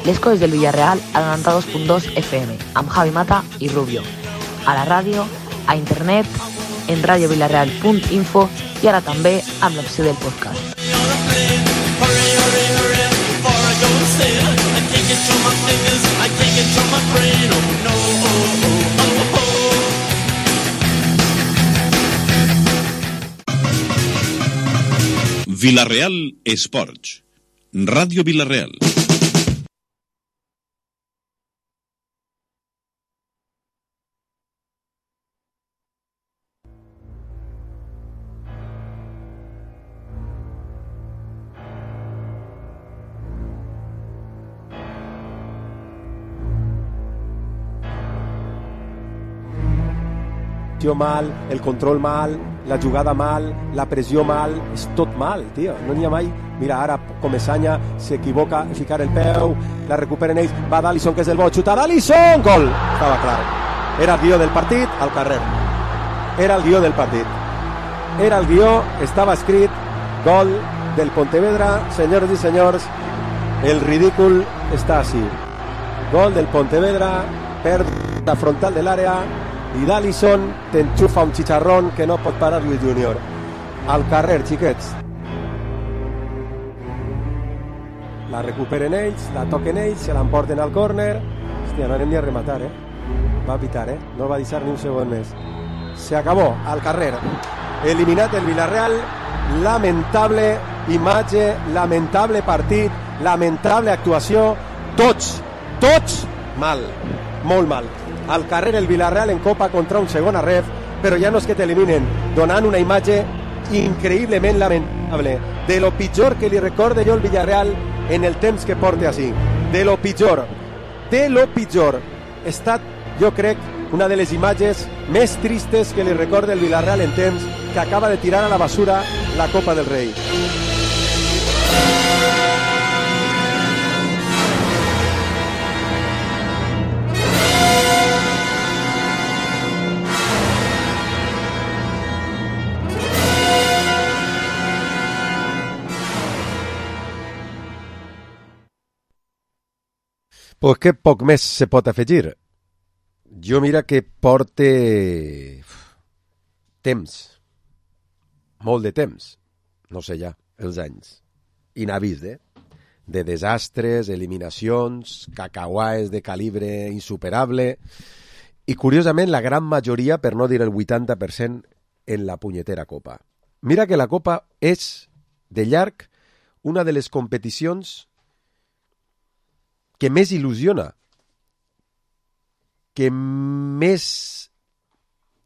les coses del Villarreal a 92.2 FM, amb Javi Mata i Rubio. A la ràdio, a internet, en radiovillarreal.info i ara també amb l'opció del podcast. Villarreal Esports, Ràdio Villarreal. Mal, el control mal, la jugada mal, la pressió mal, és tot mal, tio, no n'hi ha mai. Mira, ara Comesaña s'equivoca, ficar el peu, la recuperen ells, va d'Alisson, que és el bo, xuta d'Alisson, gol! Estava clar. Era el guió del partit, al carrer. Era el guió del partit. Era el guió, estava escrit, gol del Pontevedra, senyors i senyors, el ridícul està així. Gol del Pontevedra, perd la frontal de l'àrea, i d'Alisson t'enxufa un xicharrón que no pot parar Lluís Júnior. Al carrer, xiquets. La recuperen ells, la toquen ells, se l'emporten al córner. Hòstia, no anem ni a rematar, Va pitar, no va deixar ni un segon més. Se acabó, al carrer. Eliminat el Villarreal, lamentable imatge, lamentable partit, lamentable actuació, tots mal, molt mal. Al carrer el Villarreal en Copa contra un segon arref, però ja no és que t'eliminen, donant una imatge increïblement lamentable, de lo pitjor que li recorde jo el Villarreal en el temps que porta així, de lo pitjor. Ha estat, jo crec, una de les imatges més tristes que li recorde el Villarreal en temps que acaba de tirar a la basura la Copa del Rei. Pues que poc més se pot afegir. Jo mira que porte temps, molt de temps, no sé ja, els anys, inavist, de desastres, eliminacions, cacauaes de calibre insuperable, i curiosament la gran majoria, per no dir el 80%, en la punyetera Copa. Mira que la Copa és, de llarg, una de les competicions que més il·lusiona, que més,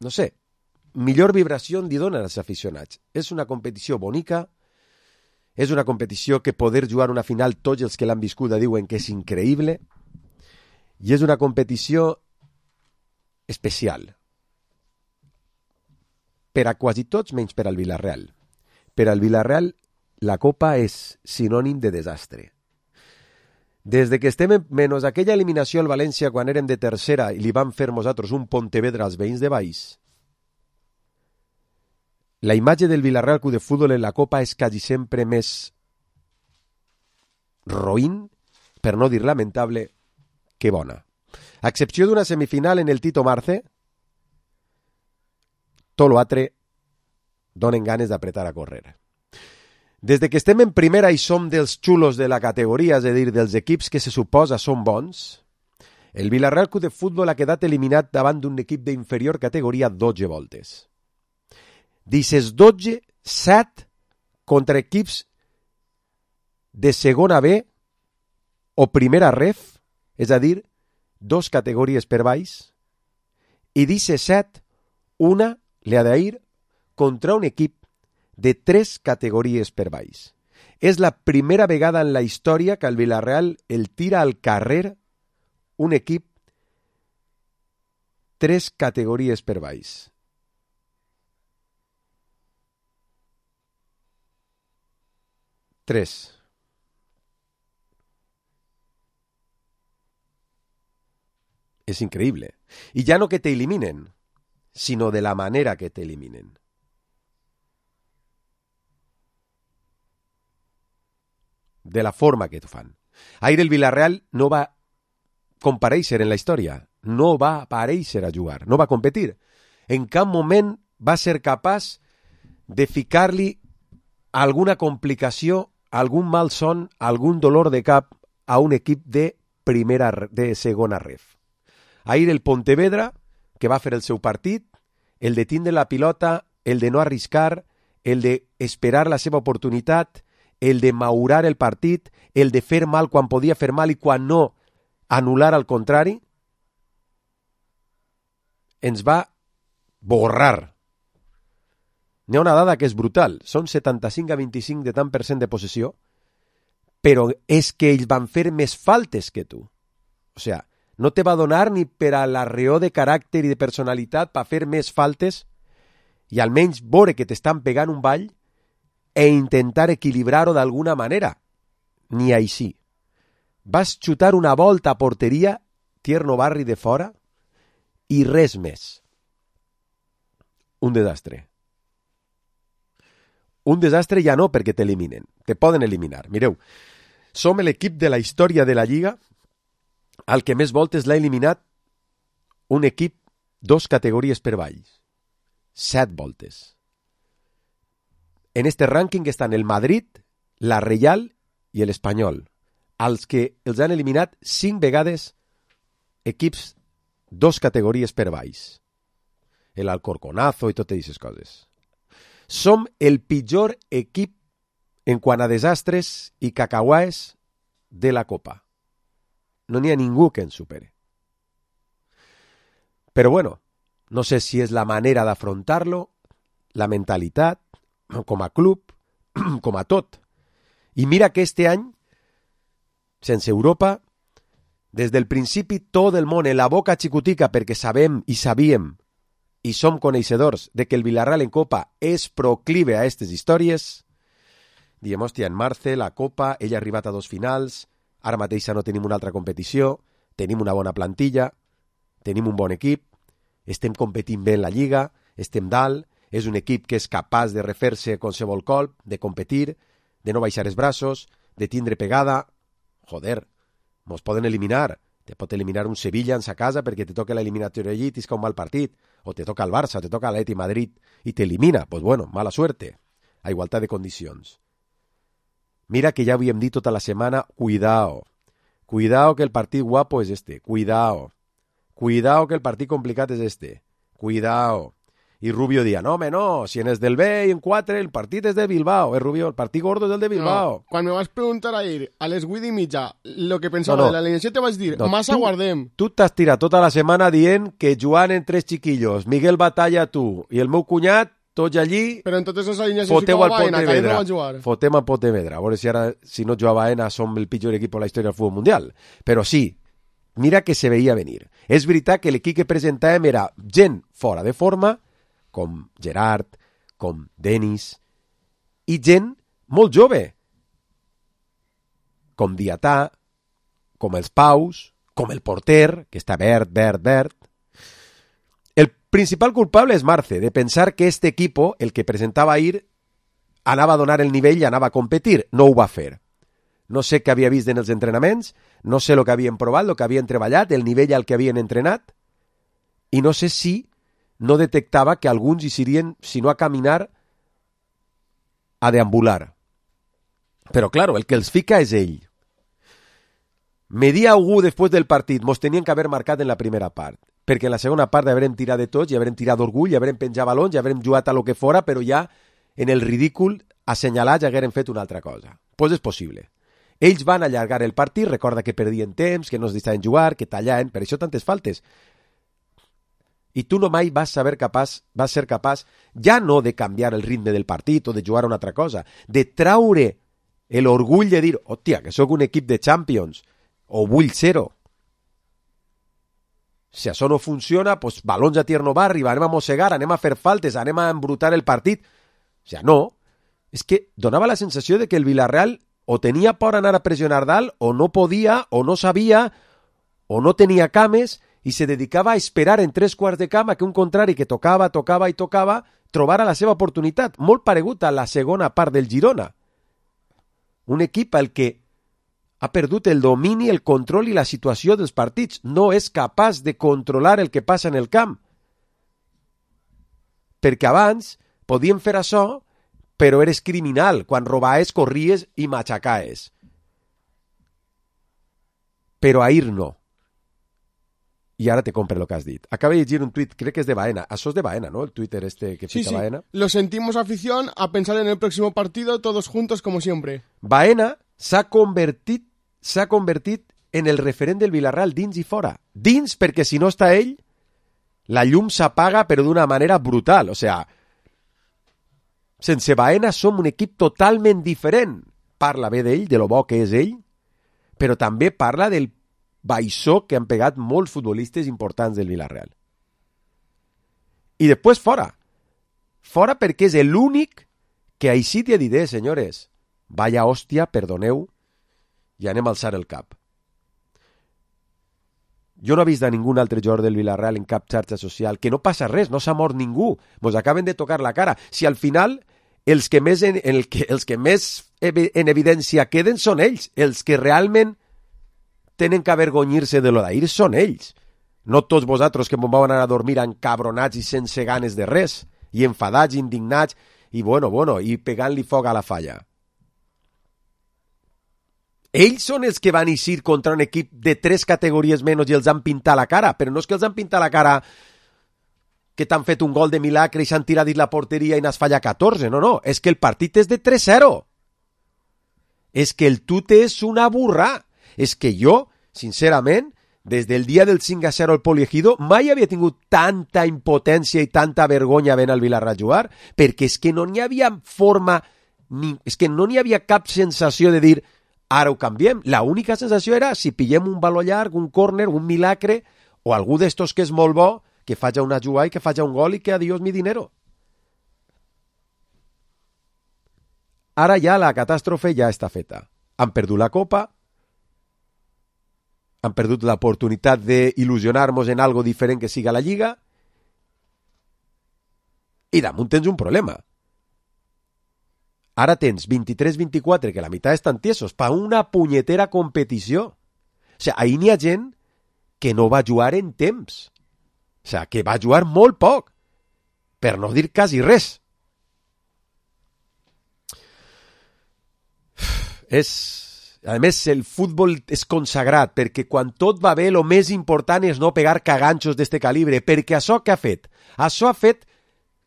no sé, millor vibració li dona als aficionats. És una competició bonica, és una competició que poder jugar una final tots els que l'han viscuda diuen que és increïble, i és una competició especial. Per a quasi tots, menys per al Villarreal. Per al Villarreal, la Copa és sinònim de desastre. Des de que estem, menys aquella eliminació al València quan érem de tercera i li vam fer nosaltres un Pontevedra als veïns de Baix, la imatge del Villarreal Club de Futbol en la Copa és quasi sempre més roïn, per no dir lamentable, que bona. A excepció d'una semifinal en el Tito Marce, tot l'altre donen ganes d'apretar a córrer. Des de que estem en primera i som dels xulos de la categoria, és a dir, dels equips que se suposa són bons, el Villarreal Club de Futbol ha quedat eliminat davant d'un equip d'inferior categoria 12 voltes. D'aquestes 12, 7 contra equips de segona B o primera ref, és a dir, 2 categories per baix, i d'aquestes 7, una li ha d'ir contra un equip de 3 categories per baix. És la primera vegada en la història que el Villarreal el tira al carrer un equip 3 categories per baix. Tres. És increïble. I ja no que t'eliminen, sinó de la manera que t'eliminen. De la forma que t'ho fan. Ahir el Villarreal no va comparèixer en la història, no va aparèixer a jugar, no va competir. En cap moment va ser capaç de ficar-li alguna complicació, algun malson, algun dolor de cap a un equip de segona ref. Ahir el Pontevedra, que va fer el seu partit, el de tindre la pilota, el de no arriscar, el de esperar la seva oportunitat, el de maurar el partit, el de fer mal quan podia fer mal i quan no anul·lar al contrari, ens va borrar. N'hi ha una dada que és brutal, són 75-25 de tant per cent de possessió, però és que ells van fer més faltes que tu. O sigui, no te va donar ni per a l'arreó de caràcter i de personalitat per fer més faltes i almenys veure que t'estan pegant un ball e intentar equilibrar-ho d'alguna manera. Ni així. Vas xutar una volta a porteria, Tierno Barri de fora, i res més. Un desastre. Un desastre ja no perquè t'eliminen. Te poden eliminar. Mireu, som l'equip de la història de la Lliga al que més voltes l'ha eliminat un equip 2 categories per baix. 7 voltes. En este rànquing estan el Madrid, la Reial i l'Espanyol, als que els han eliminat 5 vegades equips 2 categories per baix. El Alcorconazo i totes aquestes coses. Som el pitjor equip en quant a desastres i cacauaes de la Copa. No n'hi ha ningú que ens supere. Però bueno, no sé si és la manera d'afrontar-lo, la mentalitat, com a club, com a tot. I mira que este any, sense Europa, des del principi tot el món en la boca xicotica perquè sabem i sabíem i som coneixedors de que el Villarreal en Copa és proclive a aquestes històries, diem, hòstia, en Marce, la Copa, ell ha arribat a 2 finals, ara mateix no tenim una altra competició, tenim una bona plantilla, tenim un bon equip, estem competint bé en la Lliga, estem dalt, és un equip que és capaç de refer-se qualsevol colp, de competir, de no baixar els braços, de tindre pegada. Joder, mos poden eliminar. Te pot eliminar un Sevilla en sa casa perquè te toca l'eliminatòria allí i tisca un mal partit. O te toca el Barça, o te toca l'Atleti Madrid i t'elimina. Pues bueno, mala suerte. A igualtat de condicions. Mira que ja havíem dit tota la setmana, cuidao. Cuidao que el partit guapo és este. Cuidao. Cuidao que el partit complicat és este. Cuidao. I Rubio dia, no, home, no, si en és del B i en 4 el partit és de Bilbao. Rubio, el partit gordo és el de Bilbao. No, quan me vas preguntar ahir a les 8 i mitja lo que pensava de l'alineació te vaig dir, massa guardem. Tu t'has tirat tota la setmana dient que jugant en 3 xiquillos, Miguel Batalla, tu i el meu cunyat, tots allí, però en totes les alineacions foteu al Pontevedra. No jugar. Fotem al Pontevedra. A veure si ara, si no jugava Baena, som el pitjor equip de la història del futbol mundial. Però sí, mira que se veia venir. És veritat que l'equip que presentàvem era gent fora de forma, com Gerard, com Denis, i gent molt jove, com Diatà, com els Paus, com el porter, que està verd. El principal culpable és Marce, de pensar que este equipo, el que presentava ahir, anava a donar el nivell i anava a competir. No ho va fer. No sé què havia vist en els entrenaments, no sé el que havien provat, el que havien treballat, el nivell al que havien entrenat, i no sé si no detectava que alguns hi serien, si no a caminar, a deambular. Però, claro, el que els fica és ell. Me dia algú després del partit, mos tenien que haver marcat en la primera part, perquè en la segona part haurem tirat de tots, i haurem tirat d'orgull, i haurem penjat balons, i haurem jugat a lo que fora, però ja en el ridícul assenyalats haguérem fet una altra cosa. Pues és possible. Ells van allargar el partit, recorda que perdien temps, que no es deixaven jugar, que tallaven, per això tantes faltes. I tu no mai vas ser capaç ja no de canviar el ritme del partit o de jugar a una altra cosa, de traure l'orgull de dir, hòstia, que sóc un equip de Champions, o vull ser-ho. Si això no funciona, pues balons a Tierno Barri, anem a mossegar, anem a fer faltes, anem a embrutar el partit. O sigui, no. És que donava la sensació de que el Villarreal o tenia por a anar a pressionar dalt, o no podia, o no sabia, o no tenia cames, i se dedicava a esperar en 3 quarts de camp a que un contrari que tocava trobara la seva oportunitat, molt paregut a la segona part del Girona. Un equip al que Ha perdut el domini, el control i la situació dels partits. No és capaç de controlar el que passa en el camp. Perquè abans podíem fer això, però eres criminal quan robaes, corries i machacaes. Però ahir no. I ara te compre el que has dit. Acaba de llegir un tuit, crec que és de Baena. Això és de Baena, ¿no? El Twitter este que pica Baena. Lo sentimos, afición, a pensar en el próximo partido, todos juntos como siempre. Baena s'ha convertit en el referent del Villarreal dins i fora. Dins, perquè si no està ell, la llum s'apaga però d'una manera brutal. O sea, sense Baena som un equip totalment diferent. Parla bé d'ell, de lo bo que és ell, però també parla del baixó que han pegat molts futbolistes importants del Villarreal. I després fora. Fora perquè és l'únic que així t'hi diré, senyores, vaya hòstia, perdoneu, i anem a alçar el cap. Jo no he vist a ningú altre jugador del Villarreal en cap xarxa social, que no passa res, no s'ha mort ningú, mos acaben de tocar la cara. Si al final els que més en evidència queden són ells, els que realment tenen que avergonyir-se de lo d'ahir són ells. No tots vosaltres que m'ho vau anar a dormir encabronats i sense ganes de res, i enfadats, indignats, i i pegant-li foc a la falla. Ells són els que van eixir contra un equip de 3 categories menys i els han pintat la cara, però no és que els han pintat la cara que t'han fet un gol de milagre i s'han tirat dins la porteria i n'has fallat 14, no, és que el partit és de 3-0. És que el tute és una burra. És que jo, sincerament, des del dia del 5-0 al Poliegido, mai havia tingut tanta impotència i tanta vergonya venint al Villarreal a jugar, perquè és que no n'hi havia forma, és que no n'hi havia cap sensació de dir ara ho canviem. La única sensació era si pillem un baló llarg, un córner, un milagre, o algú d'estos que és molt bo, que faci una jugada i que faci un gol i que adiós mi dinero. Ara ja la catàstrofe ja està feta. Han perdut la Copa, han perdut l'oportunitat d'il·lusionar-nos en algo diferent que siga la Lliga, i damunt tens un problema. Ara tens 23-24, que la meitat estan tiesos, per una punyetera competició. O sigui, ahir n'hi ha gent que no va jugar en temps. O sigui, que va jugar molt poc, per no dir quasi res. A més, el futbol és consagrat, perquè quan tot va bé, el més important és no pegar caganxos d'este calibre, perquè això què ha fet? Això ha fet,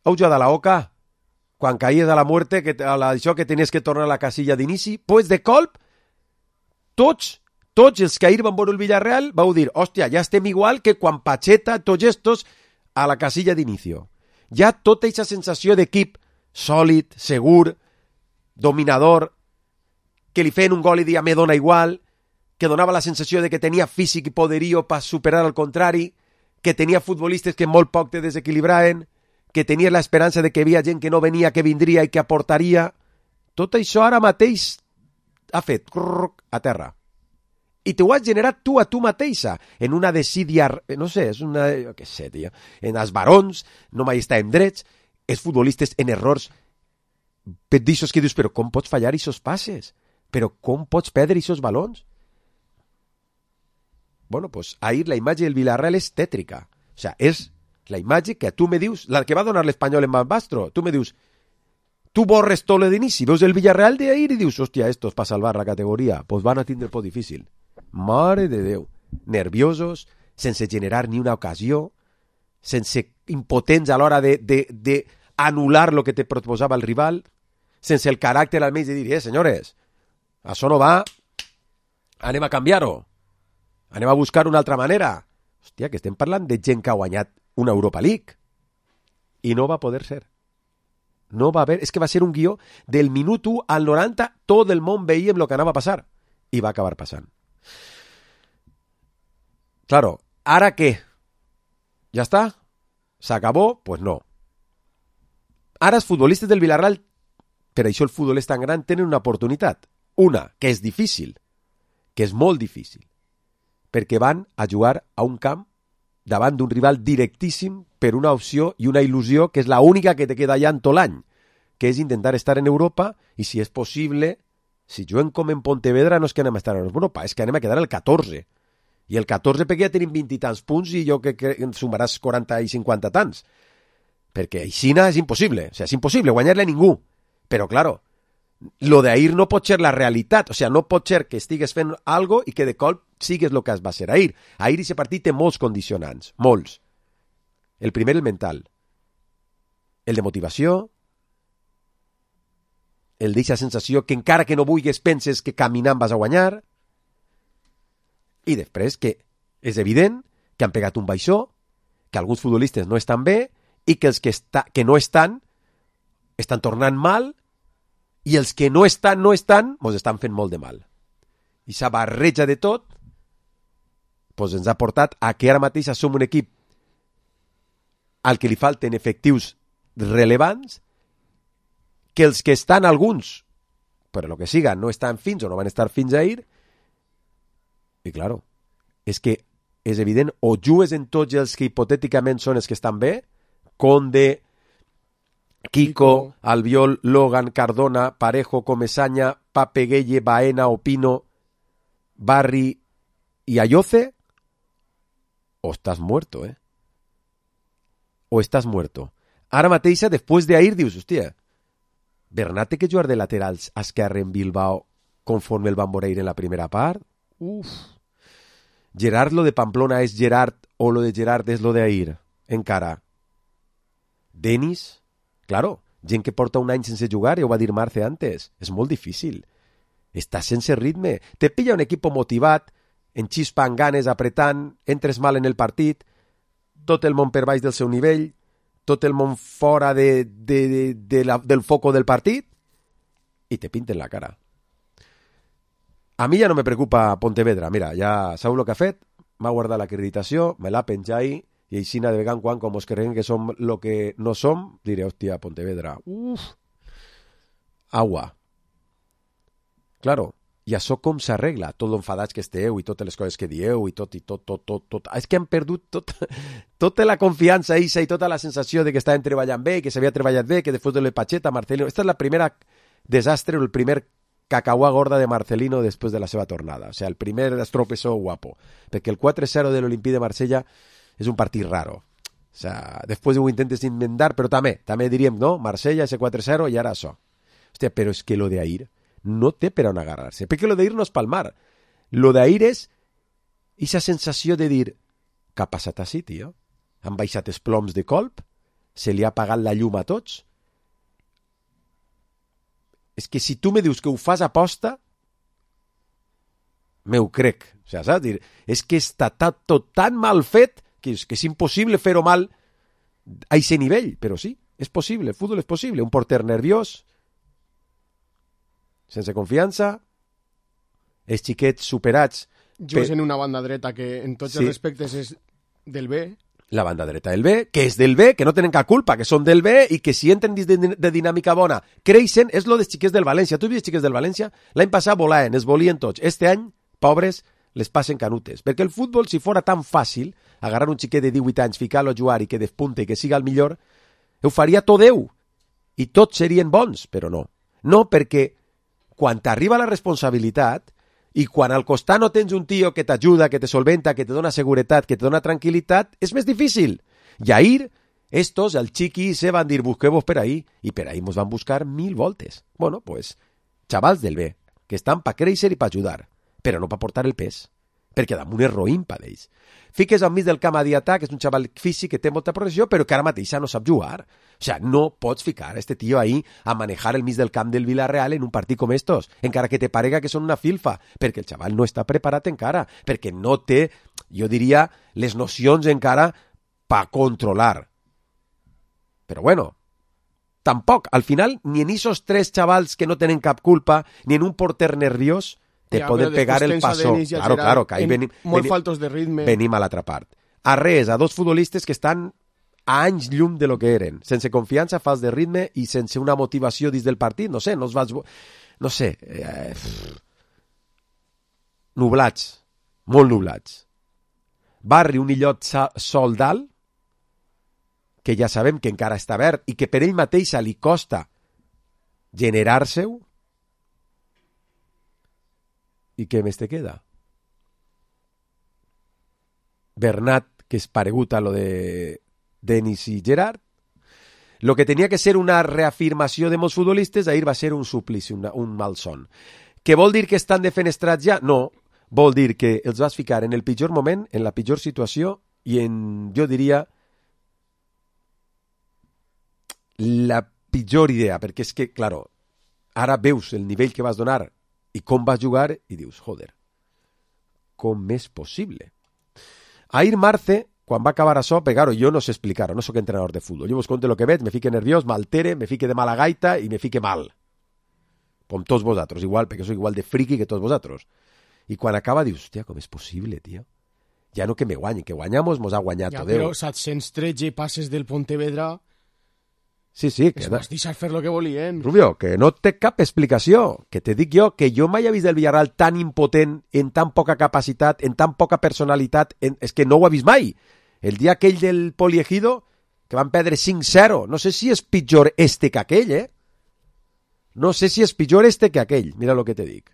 heu jugat a la Oca, quan caïes a la muerte, això que tenies que tornar a la casilla d'inici, pues de colp, tots els que ahir van veure el Villarreal vau dir, hòstia, ja estem igual que quan Pacheta, tots estos, a la casilla d'inicio. Ja tota aquesta sensació d'equip sòlid, segur, dominador, que li feien un gol i dia me dona igual, que donava la sensació de que tenia físic i poderío per superar al contrari, que tenia futbolistes que molt poc te desequilibraven, que tenia l'esperança de que hi havia gent que no venia, que vindria i que aportaria. Tot això ara mateix ha fet a terra. I t'ho has generat tu a tu mateixa, en una desídia, no sé, és una, què sé, tia, en els barons, no mai estàvem drets, els futbolistes en errors, d'aixòs que dius, però com pots fallar aquests passes? Però com pots perdre aquests balons? Bueno, pues ahir la imatge del Villarreal és tètrica. O sea, és la imatge que tu me dius, la que va donar l'Espanyol en Bastro, tu me dius, tu borres tot l'inici, veus el Villarreal d'ahir i dius, hòstia, estos para salvar la categoria, pues van a tindre por difícil. Mare de Déu, nerviosos, sense generar ni una ocasió, sense impotents a l'hora de anul·lar lo que te proposava el rival, sense el caràcter almenys de dir, senyores, això no va, anem a canviar-ho, anem a buscar una altra manera. Hòstia, que estem parlant de gent que ha guanyat una Europa League i no va poder ser. No va haver, és que va ser un guió del minut 1 al 90, tot el món veiem el que anava a passar i va acabar passant. Claro, ¿ara qué? ¿Ya está? ¿Se acabó? Pues no. Ara els futbolistes del Villarreal, per això el futbol és tan gran, tenen una oportunitat. Una, que és difícil, que és molt difícil, perquè van a jugar a un camp davant d'un rival directíssim per una opció i una il·lusió que és la única que te queda allà en tot l'any, que és intentar estar en Europa i, si és possible, si juguen com en Pontevedra no és que anem a estar en Europa, és que anem a quedar el 14. I el 14 perquè ja tenim 20 i tants punts i jo que em sumaràs 40 i 50 tants. Perquè aixina és impossible. O sigui, és impossible guanyar-li a ningú. Però, claro, lo d'ahir no pot ser la realitat. O sigui, no pot ser que estigues fent algo i que de cop sigues el que va ser ahir. Ahir aquest partit té molts condicionants. Molts. El primer, el mental. El de motivació. El d'eixa sensació que encara que no vulguis penses que caminant vas a guanyar. I després que és evident que han pegat un baixó, que alguns futbolistes no estan bé i que els que no estan tornant mal i els que no estan, mos estan fent molt de mal. I aquesta barreja de tot pues ens ha portat a que ara mateix som un equip al que li falten efectius relevants, que els que estan alguns, per lo que siga, no estan fins o no van estar fins ahir. I, claro, és que és evident, o jugues en tots els que hipotèticament són els que estan bé, Conde, Kiko, Albiol, Logan, Cardona, Parejo, Comesaña, Pape Gueye, Baena, Opino, Barry y Ayoce, o estàs muerto, O estàs muerto. Ara mateixa, després d'ahir, dius, hòstia, Bernat té que jugar de laterals a esquerra en Bilbao conforme el van veure en la primera part? Uf. Gerard, lo de Pamplona és Gerard o lo de Gerard és lo de ahir? Encara. Denis? Claro, gent que porta un any sense jugar, ja ho va dir Marce antes. És molt difícil. Estàs sense ritme. Te pilla un equip motivat, en xispa, en ganes, apretant, entres mal en el partit, tot el món per baix del seu nivell, tot el món fora del foco del partit, i te pinten la cara. A mi ja no me preocupa Pontevedra. Mira, ja sabeu el que ha fet, m'ha guardat l'acreditació, me l'ha penjat ahí, i així de vegant quan, com us creiem que som lo que no som, diré, hòstia, Pontevedra, agua. Claro, i això com s'arregla? Tot l'enfadats que esteu i totes les coses que dieu i tot. És que han perdut tota la confiança i tota la sensació de que estaven treballant bé, que s'havia treballat bé, que després de l'Epacheta, Marcelino... Esta és la primera desastre, el primer cacahuà gorda de Marcelino després de la seva tornada. O sigui, el primer estropessó guapo. Perquè el 4-0 de l'Olimpí de Marsella és un partit raro. O sigui, després ho intentes inventar, però també diríem, no? Marsella, ese 4-0 i ara això. Hòstia, però és que lo de ahir no té per on agarrar-se. Perquè lo d'ahir no és palmar. Lo d'ahir és aquesta sensació de dir, què ha passat així, tio? Han baixat els ploms de colp? Se li ha apagat la llum a tots? És que si tu me dius que ho fas aposta, me ho crec. O sigui, saps? Dir, és que està tot tan mal fet que és impossible fer-ho mal a aquest nivell. Però sí, és possible, el futbol és possible. Un porter nerviós, sense confiança, els xiquets superats... Jugues en una banda dreta que en tots els respectes és del B. La banda dreta del B, que és del B, que no tenen cap culpa, que són del B i que si entren dins de dinàmica bona creixen, és lo dels xiquets del València. Tu vist xiquets del València? L'any passat volaven, es volien tots. Este any, pobres, les passen canutes. Perquè el futbol, si fora tan fàcil, agarrar un xiquet de 18 anys, ficar-lo a jugar i que despunte i que siga el millor, ho faria tot Déu. I tots serien bons, però no. No, perquè quan t'arriba la responsabilitat i quan al costat no tens un tio que t'ajuda, que te solventa, que te dona seguretat, que te dona tranquil·litat, és més difícil. I ahir, estos, el Chiqui se van dir, busqueu-vos per ahí, i per ahí mos van buscar 1000 voltes. Bueno, pues, xavals del B, que estan pa créixer i pa ajudar, però no pa portar el pes, perquè damunt és roïn pa d'ells. Fiques al mig del camp a Diatà, que és un xaval físic que té molta progressió, però que ara mateixa no sap jugar. O sigui, no pots ficar este tio ahí a manejar el mig del camp del Villarreal en un partit com estos, encara que te parega que són una filfa, perquè el xaval no està preparat encara, perquè no té, jo diria, les nocions encara pa controlar. Però bueno, tampoc, al final, ni en esos 3 xavals que no tenen cap culpa, ni en un porter nerviós, te poden pegar el passo. Claro, que ahí molt faltos de ritme. Venim a l'altra part. A res, a 2 futbolistes que estan a anys llum de lo que eren, sense confiança, fals de ritme i sense una motivació dins del partit, no sé, nublats, molt nublats. Barri, un illot sol dalt, que ja sabem que encara està verd i que per ell mateixa li costa generar-se-ho, I què més te queda? Bernat, que és paregut a lo de Denis i Gerard. Lo que tenia que ser una reafirmació de molts futbolistes, ahir va ser un suplici, un malson. Què vol dir que estan defenestrats ja? No, vol dir que els vas ficar en el pitjor moment, en la pitjor situació i en, jo diria, la pitjor idea, perquè és que, claro, ara veus el nivell que vas donar i com vas jugar i dius, joder, com és possible? Ahir Marce, quan va acabar això, claro, jo no sé explicar-ho, no soc entrenador de futbol, jo vos conto lo que veig, me fique nerviós, m'altere, me fique de mala gaita i me fique mal. Com tots vosaltres, igual, perquè soc igual de friqui que tots vosaltres. I quan acaba dius, hòstia, com és possible, tio? Ja no que me guanyi, que guanyamos, mos ha guanyat tot Déu. Però 713 passes del Pontevedra... Sí, que... Es vas deixar fer lo que volien. Rubio, que no té cap explicació. Que te dic jo que jo mai he vist el Villarreal tan impotent, en tan poca capacitat, en tan poca personalitat. És que no ho he vist mai. El dia aquell del Poliegido, que van perdre 5-0. No sé si és pitjor este que aquell, No sé si és pitjor este que aquell. Mira lo que te dic.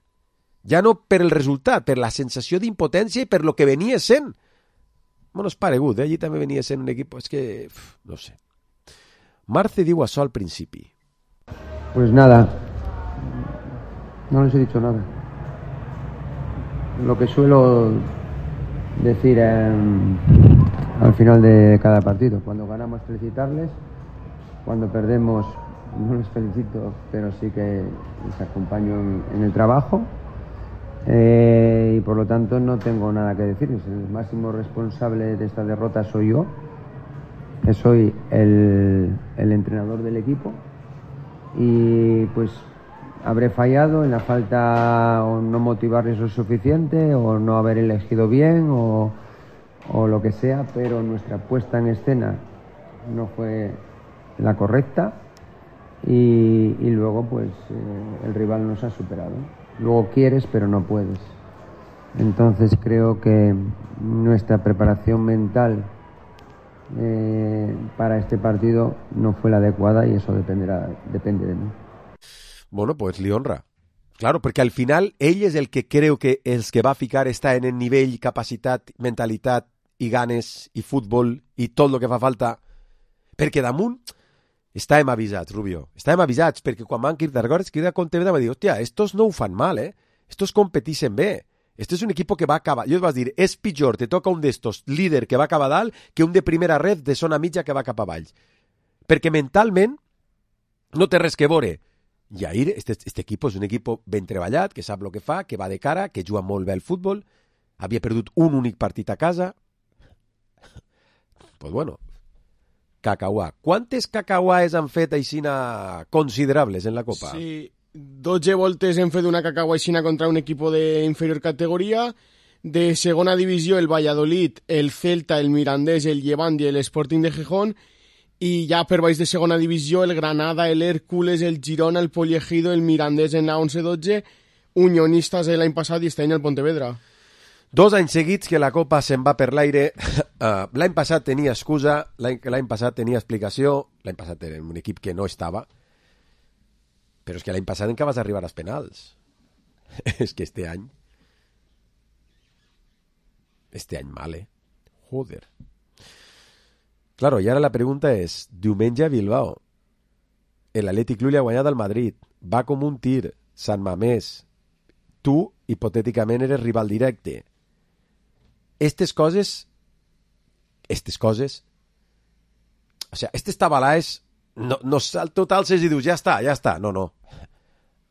Ja no per el resultat, per la sensació d'impotència i per lo que venia sent. Bueno, és paregut, allí també venia sent un equip... És que... no sé. Marce diu això al principi. Pues nada, no les he dicho nada. Lo que suelo decir al final de cada partido. Cuando ganamos felicitarles, cuando perdemos no les felicito, pero sí que les acompaño en el trabajo. Y por lo tanto no tengo nada que decirles. El máximo responsable de esta derrota soy yo, que soy el entrenador del equipo, y pues habré fallado en la falta o no motivarles lo suficiente o no haber elegido bien o lo que sea, pero nuestra puesta en escena no fue la correcta y luego pues el rival nos ha superado. Luego quieres pero no puedes. Entonces creo que nuestra preparación mental para este partido no fue la adecuada y eso depende de mí. Bueno, pues li honra. Claro, perquè al final ell és el que creu que els que va ficar està en el nivell, capacitat, mentalitat i ganes i futbol i tot el que fa falta. Perquè damunt estàvem avisats, Rubio. Estàvem avisats perquè quan van Kirdargores, Kirda Pontevedra va dir, hòstia, estos no ho fan mal, estos competixen bé. Este és un equip que va acabar... Jo et vas dir, és pitjor, te toca un d'estos líder que va acabar dalt que un de primera red de zona mitja que va cap avall. Perquè mentalment no té res que veure. I ahir, este equip és un equip ben treballat, que sap el que fa, que va de cara, que juga molt bé al futbol, havia perdut un únic partit a casa. Pues bueno, cacauà. Quantes cacauàes han fet aixina considerables en la Copa? Sí, 12 voltes hem fet una cacauaixina contra un equip d'inferior categoria. De segona divisió, el Valladolid, el Celta, el Mirandés, el Llevant i el Sporting de Gijón. I ja per baix de segona divisió, el Granada, el Hércules, el Girona, el Poliegido, el Mirandés en la 11-12, Unionistas l'any passat i este any el Pontevedra. 2 anys seguits que la Copa se'n va per l'aire. L'any passat tenia excusa, l'any passat tenia explicació, l'any passat era un equip que no estava, però és que l'any passat encara vas arribar als penals. És que este any mal, Joder. Claro, y ahora la pregunta és, diumenge a Bilbao, l'Atlètic Club li ha guanyat al Madrid, va com un tir, Sant Mamés, tu, hipotèticament, eres rival directe. Estes coses, o sea, estes tabalaes, no t'alces i dius, ja està, no.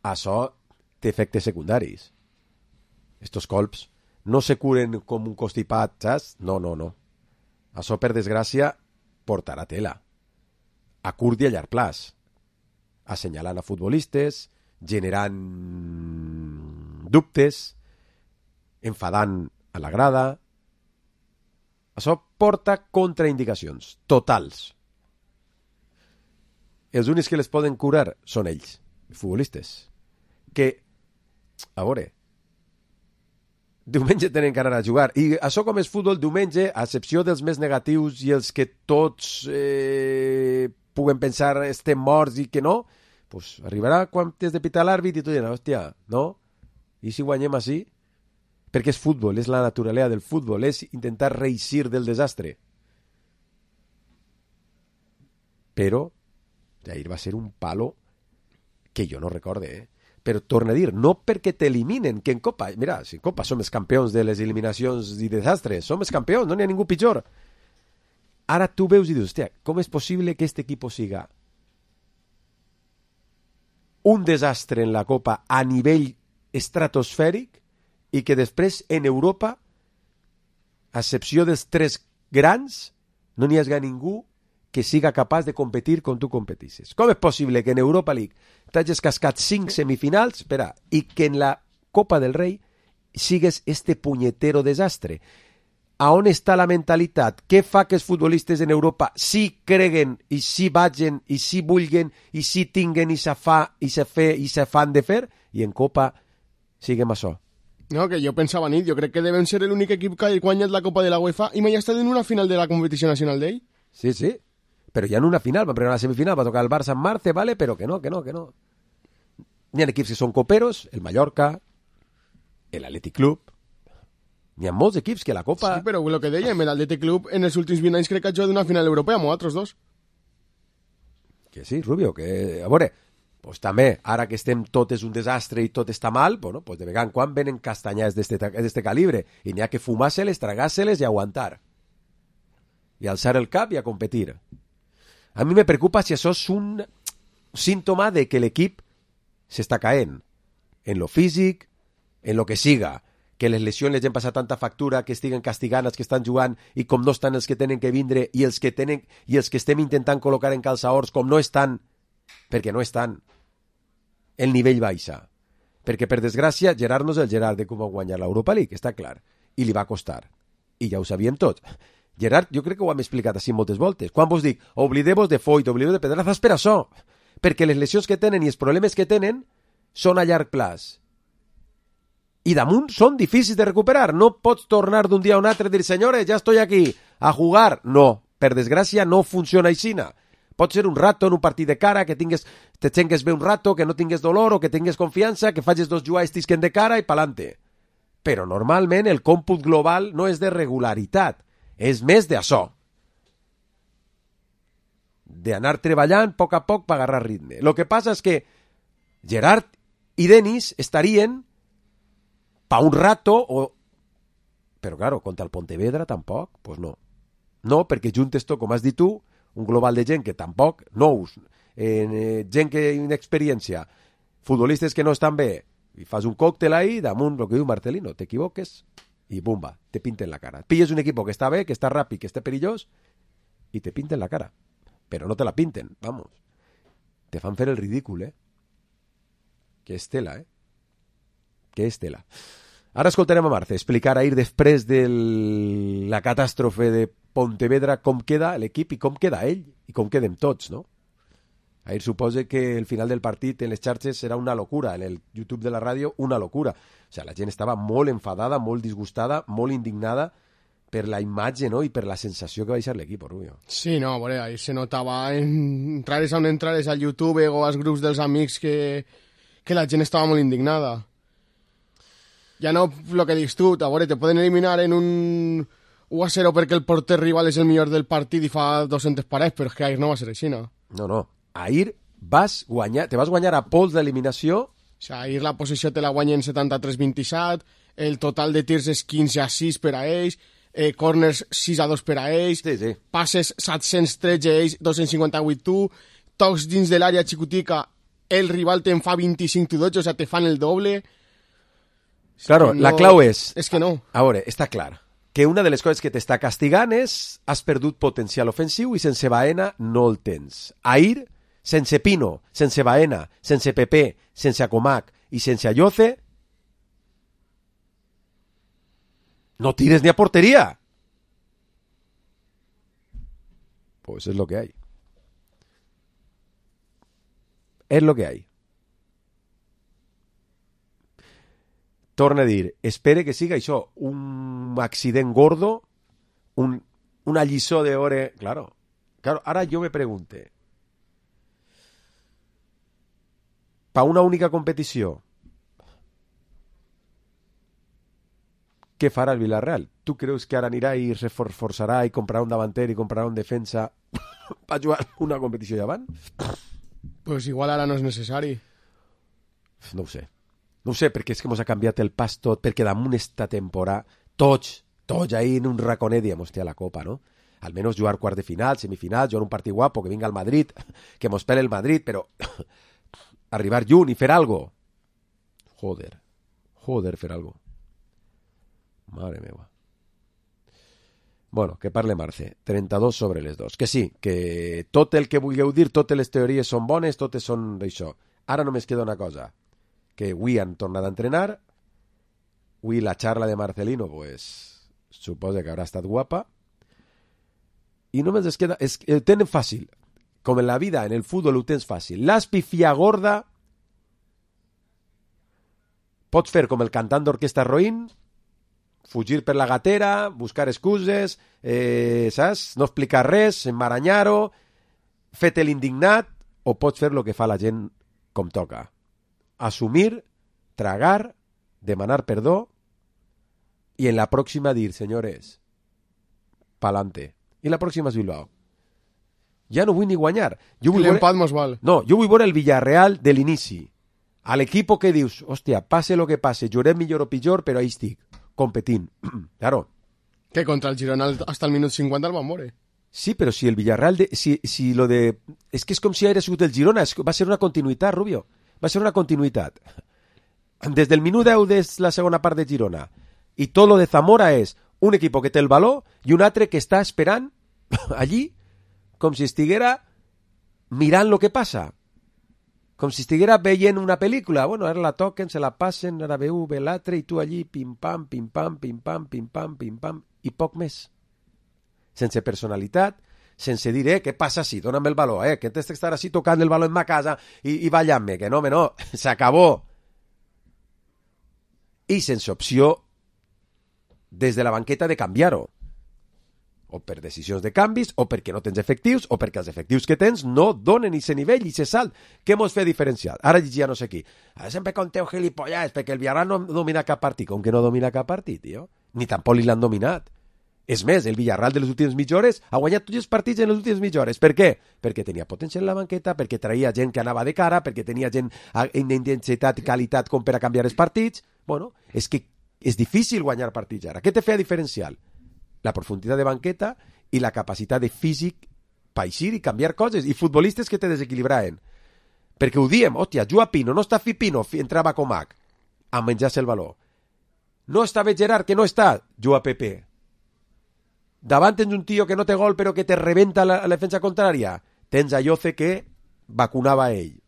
Això té efectes secundaris. Estos colps no se curen com un constipat, saps? No. Això, per desgràcia, portarà tela. A curt i a llarg plaç. Assenyalant a futbolistes, generant dubtes, enfadant a la grada. Això porta contraindicacions totals. Els únics que les poden curar són ells, els futbolistes. Que, a veure, diumenge tenen que anar a jugar. I això com és futbol diumenge, a excepció dels més negatius i els que tots puguen pensar estem morts i que no, pues arribarà quan t'has de pitar l'àrbit i tu diràs, hòstia, no? I si guanyem així? perquè és futbol, és la naturalesa del futbol, és intentar reeixir del desastre. Però ahir va ser un palo que jo no recorde, Però torno a dir, no perquè t'eliminen, que en Copa, mira, si en Copa som els campions de les eliminacions i desastres, som els campions, no n'hi ha ningú pitjor. Ara tu veus i dius, hòstia, com és possible que este equipo siga un desastre en la Copa a nivell estratosfèric i que després en Europa, a excepció dels 3 grans, no n'hi hagi ningú que siga capaç de competir com tu competisses. Com és possible que en Europa League t'hagis cascat 5 semifinals, espera, i que en la Copa del Rei sigues este punyetero desastre? A on està la mentalitat? Què fa que els futbolistes en Europa sí creguen i sí vagin i sí vulguen i sí tinguen i se fan de fer i en Copa siguem això? No, que jo pensava nit, jo crec que devem ser l'únic equip que ha guanyat la Copa de la UEFA i mai ha estat en una final de la competició nacional d'ell. Sí, sí, però ja en una final, va pregar la semifinal, va tocar el Barça en Marce, vale, però que no. N'hi ha equips que són coperos, el Mallorca, l'Atlètic Club, n'hi ha molts equips que la Copa... Sí, però el que dèiem, l'Atlètic Club en els últims 20 anys crec que ha jugat una final europea amb altres dos. Que sí, Rubio, que... A veure, pues també, ara que estem tot és un desastre i tot està mal, bueno, pues de vegada en quan venen castanyades d'este calibre i n'hi ha que fumar-se-les, tragar-se-les i aguantar. I alçar el cap i a competir. A mi me preocupa si això és un símptoma de que l'equip s'està caent en lo físic, en lo que siga, que les lesions les han passat tanta factura, que estiguen castigant els que estan jugant i com no estan els que tenen que vindre i els que estem intentant col·locar en calçaors com no estan, perquè no estan, el nivell baixa. Perquè, per desgràcia, Gerard no és el Gerard de com va guanyar l'Europa League, està clar, i li va costar. I ja ho sabíem tot. Gerard, jo crec que ho hem explicat així moltes voltes. Quan vos dic, oblideu-vos de Foyt, oblideu de Pedrazas per això, perquè les lesions que tenen i els problemes que tenen són a llarg plaç. I damunt són difícils de recuperar. No pots tornar d'un dia a un altre i dir, senyores, ja estoy aquí, a jugar. No, per desgràcia no funciona així. Pot ser un rato en un partit de cara, que te tingues bé un rato, que no tingues dolor o que tingues confiança, que facis 2 jugades tisquen de cara i pa'lante. Però normalment el còmput global no és de regularitat, és més d'això. D'anar treballant a poc per agarrar ritme. El que passa és que Gerard i Denis estarien pa un rato o... Però, claro, contra el Pontevedra tampoc, pues no. No, perquè juntes tot, com has dit tu, un global de gent que tampoc, nous, gent que inexperiència, futbolistes que no estan bé, i fas un còctel ahí, damunt, el que diu Marcelino, t'equivoques, i bumba, te pinten la cara. Pilles un equipo que està bé, que està ràpid, que està perillós, i te pinten la cara. Però no te la pinten, vamos. Te fan fer el ridícul, Que és tela, Que és tela. Ara escoltarem a Marce explicar ahir després de la catàstrofe de Pontevedra com queda l'equip i com queda ell i com quedem tots, no? Ahir suposa que el final del partit en les xarxes serà una locura, en el YouTube de la ràdio una locura. O sigui, la gent estava molt enfadada, molt disgustada, molt indignada per la imatge, no?, i per la sensació que va deixar l'equip, Rubio. Sí, no, bueno, ahí se notava entrares on entrares al YouTube o als grups dels amics que la gent estava molt indignada. Ja no el que dius tu, a veure, te poden eliminar en un 1-0 perquè el porter rival és el millor del partit i fa 200 parets, però és que ahir no va ser així, no? No. Ahir te vas guanyar a pols d'eliminació. O sigui, ahir la possessió te la guanyen 73-27, el total de tirs és 15-6 per a ells, corners 6-2 per a ells, sí. passes 713 ells, 258 tu, tocs dins de l'àrea xicotica, el rival te'n fa 25-12, o sigui, te fan el doble. Claro, no, la clau és... És que no. A veure, està clar que una de les coses que t'està castigant és has perdut potencial ofensiu i sense Baena no el tens. Ahir, sense Pino, sense Baena, sense Pepe, sense Comac i sense Ayoce, no tires ni a porteria. Pues es lo que hay. Es lo que hay. Torna a dir, espere que siga això, un accident gordo, una lliçó d'hora... Claro, ara jo me pregunte, pa una única competició, què farà el Villarreal? Tu creus que ara anirà i es reforçarà i comprarà un davanter i comprarà un defensa per jugar una competició davant? Pues igual ara no és necessari. No ho sé. No ho sé, perquè és que mos ha canviat el pas tot, perquè damunt esta temporada, tots ahí en un raconet diem, hòstia, la Copa, no? Almenys jugar quart de final, semifinal, jugar un partit guapo, que vinga el Madrid, que mos pele el Madrid, però arribar lluny i fer algo. Joder, fer algo. Mare meva. Bueno, que parle Marce. 32 sobre les 2. Que sí, que tot el que vulgueu dir, totes les teories són bones, totes són d'això. Ara només queda una cosa, que avui han tornat a entrenar, avui la charla de Marcelino, pues, suposa que haurà estat guapa, i només es queda, ho tenen fàcil, com en la vida, en el futbol ho tens fàcil. L'aspifia gorda, pots fer com el cantant d'orquestra roïn, fugir per la gatera, buscar excuses, saps? No explicar res, emmaranyar-ho, fer-te l'indignat, o pots fer el que fa la gent com toca. Assumir, tragar, demanar perdó i en la pròxima dir, senyores, pa'lante. I la pròxima és Bilbao. Ja no vull ni guanyar. L'empat mos val. No, jo vull veure el Villarreal de l'inici. A l'equip que dius, hòstia, passe lo que passe, juguem millor o pitjor, però ahí estic, competint. Claro. Que contra el Girona hasta el minut 50 el van moure. Sí, però si el Villarreal... si lo de... És que és com si hagués sigut el Girona, va ser una continuïtat, Rubio. Va ser una continuïtat. Des del minut 10 de la segona part de Girona i tot lo de Zamora és un equip que té el valor i un altre que està esperant allí com si estiguera mirant lo que passa. Com si estiguera veient una pel·lícula. Bueno, ara la toquen, se la passen, ara veu l'altre i tu allí pim-pam, pim-pam, pim-pam, pim-pam, pim-pam i poc més. Sense personalitat, sense dir, què passa si? Dóna'm el valor, que tens d'estar així tocant el valor en ma casa i ballant-me, que no, s'acabó. I sense opció des de la banqueta de canviar-ho. O per decisions de canvis, o perquè no tens efectius, o perquè els efectius que tens no donen i se nivell i se salt. Què mos fa diferencial? Ara llegia no sé qui. Sempre conteu gilipollas, perquè el Villarreal no domina cap partit. Com que no domina cap partit, tio? Ni tampoc li l'han dominat. És més, el Villarreal de les últimes mitja hores ha guanyat tots els partits en les últimes mitja hores. Per què? Perquè tenia potència en la banqueta, perquè traïa gent que anava de cara, perquè tenia gent d'intensitat i qualitat com per a canviar els partits. Bueno, és que és difícil guanyar partits ara. Què te feia diferencial? La profunditat de banqueta i la capacitat de físic per eixir i canviar coses. I futbolistes que te desequilibraven. Perquè ho diem, hòstia, juga Pino, no està Pino, entrava Comac a menjar-se el valor. No estava Gerard, que no està, juga Pepe. Davant tens un tio que no té gol però que te rebenta la defensa contrària. Tens a Lloce que vacunava a ell.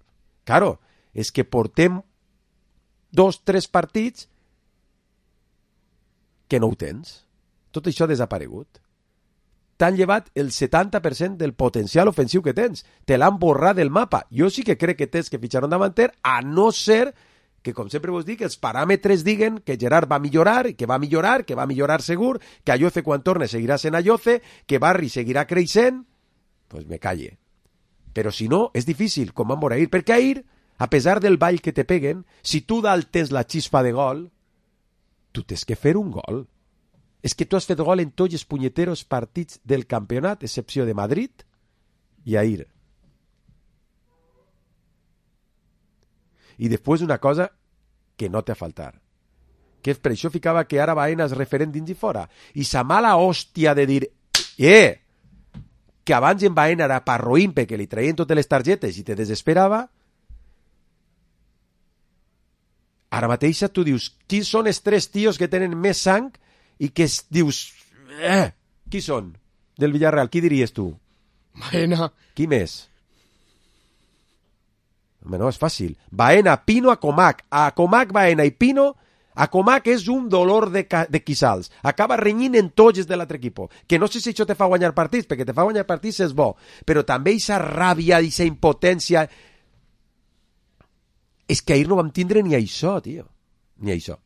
Claro, és que portem 2-3 partits que no ho tens. Tot això ha desaparegut. T'han llevat el 70% del potencial ofensiu que tens. Te l'han borrat del mapa. Jo sí que crec que tens que fitxar un davanter, a no ser que, com sempre vos dic, els paràmetres diguen que Gerard va millorar, que va millorar segur, que Ayoce quan torne seguirà sent Ayoce, que Barri seguirà creixent, pues me calle. Però si no, és difícil, com van veure ahir, perquè ahir, a pesar del ball que te peguen, si tu dalt tens la xispa de gol, tu tens que fer un gol. És que tu has fet gol en tots els punyeteros partits del campionat, excepció de Madrid i ahir. I després una cosa que no té a faltar, que per això ficava que ara Baena és referent dins i fora. I sa mala hòstia de dir que abans en Baena era parroïn perquè li traien totes les targetes i te desesperava, ara mateix tu dius, qui són els 3 tios que tenen més sang i que dius, qui són del Villarreal? Qui diries tu? Baena. Qui més? No, és fàcil. Baena, Pino, a Comac. A Comac, Baena i Pino, a Comac és un dolor de quissals. Acaba renyint en tots de l'altre equip. Que no sé si això te fa guanyar partits, perquè te fa guanyar partits és bo, però també aquesta ràbia, aquesta impotència... És que ahir no vam tindre ni això, tio. Ni això.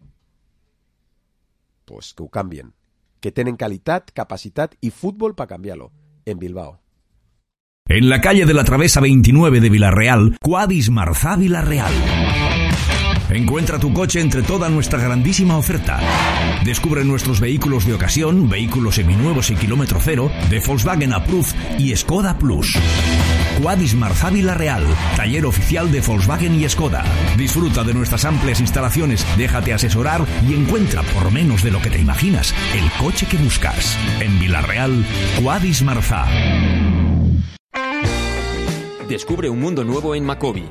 Pues que ho canvien. Que tenen qualitat, capacitat i futbol per canviar-lo. En Bilbao. En la calle de la Travesa 29 de Villarreal, Cuadis Marzá Villarreal. Encuentra tu coche entre toda nuestra grandísima oferta. Descubre nuestros vehículos de ocasión, vehículos seminuevos y kilómetro cero, de Volkswagen Approved y Skoda Plus. Quadis Marzá Vila-real, taller oficial de Volkswagen y Skoda. Disfruta de nuestras amplias instalaciones, déjate asesorar y encuentra por menos de lo que te imaginas el coche que buscas. En Vila-real, Quadis Marzá. Descubre un mundo nuevo en Macobi.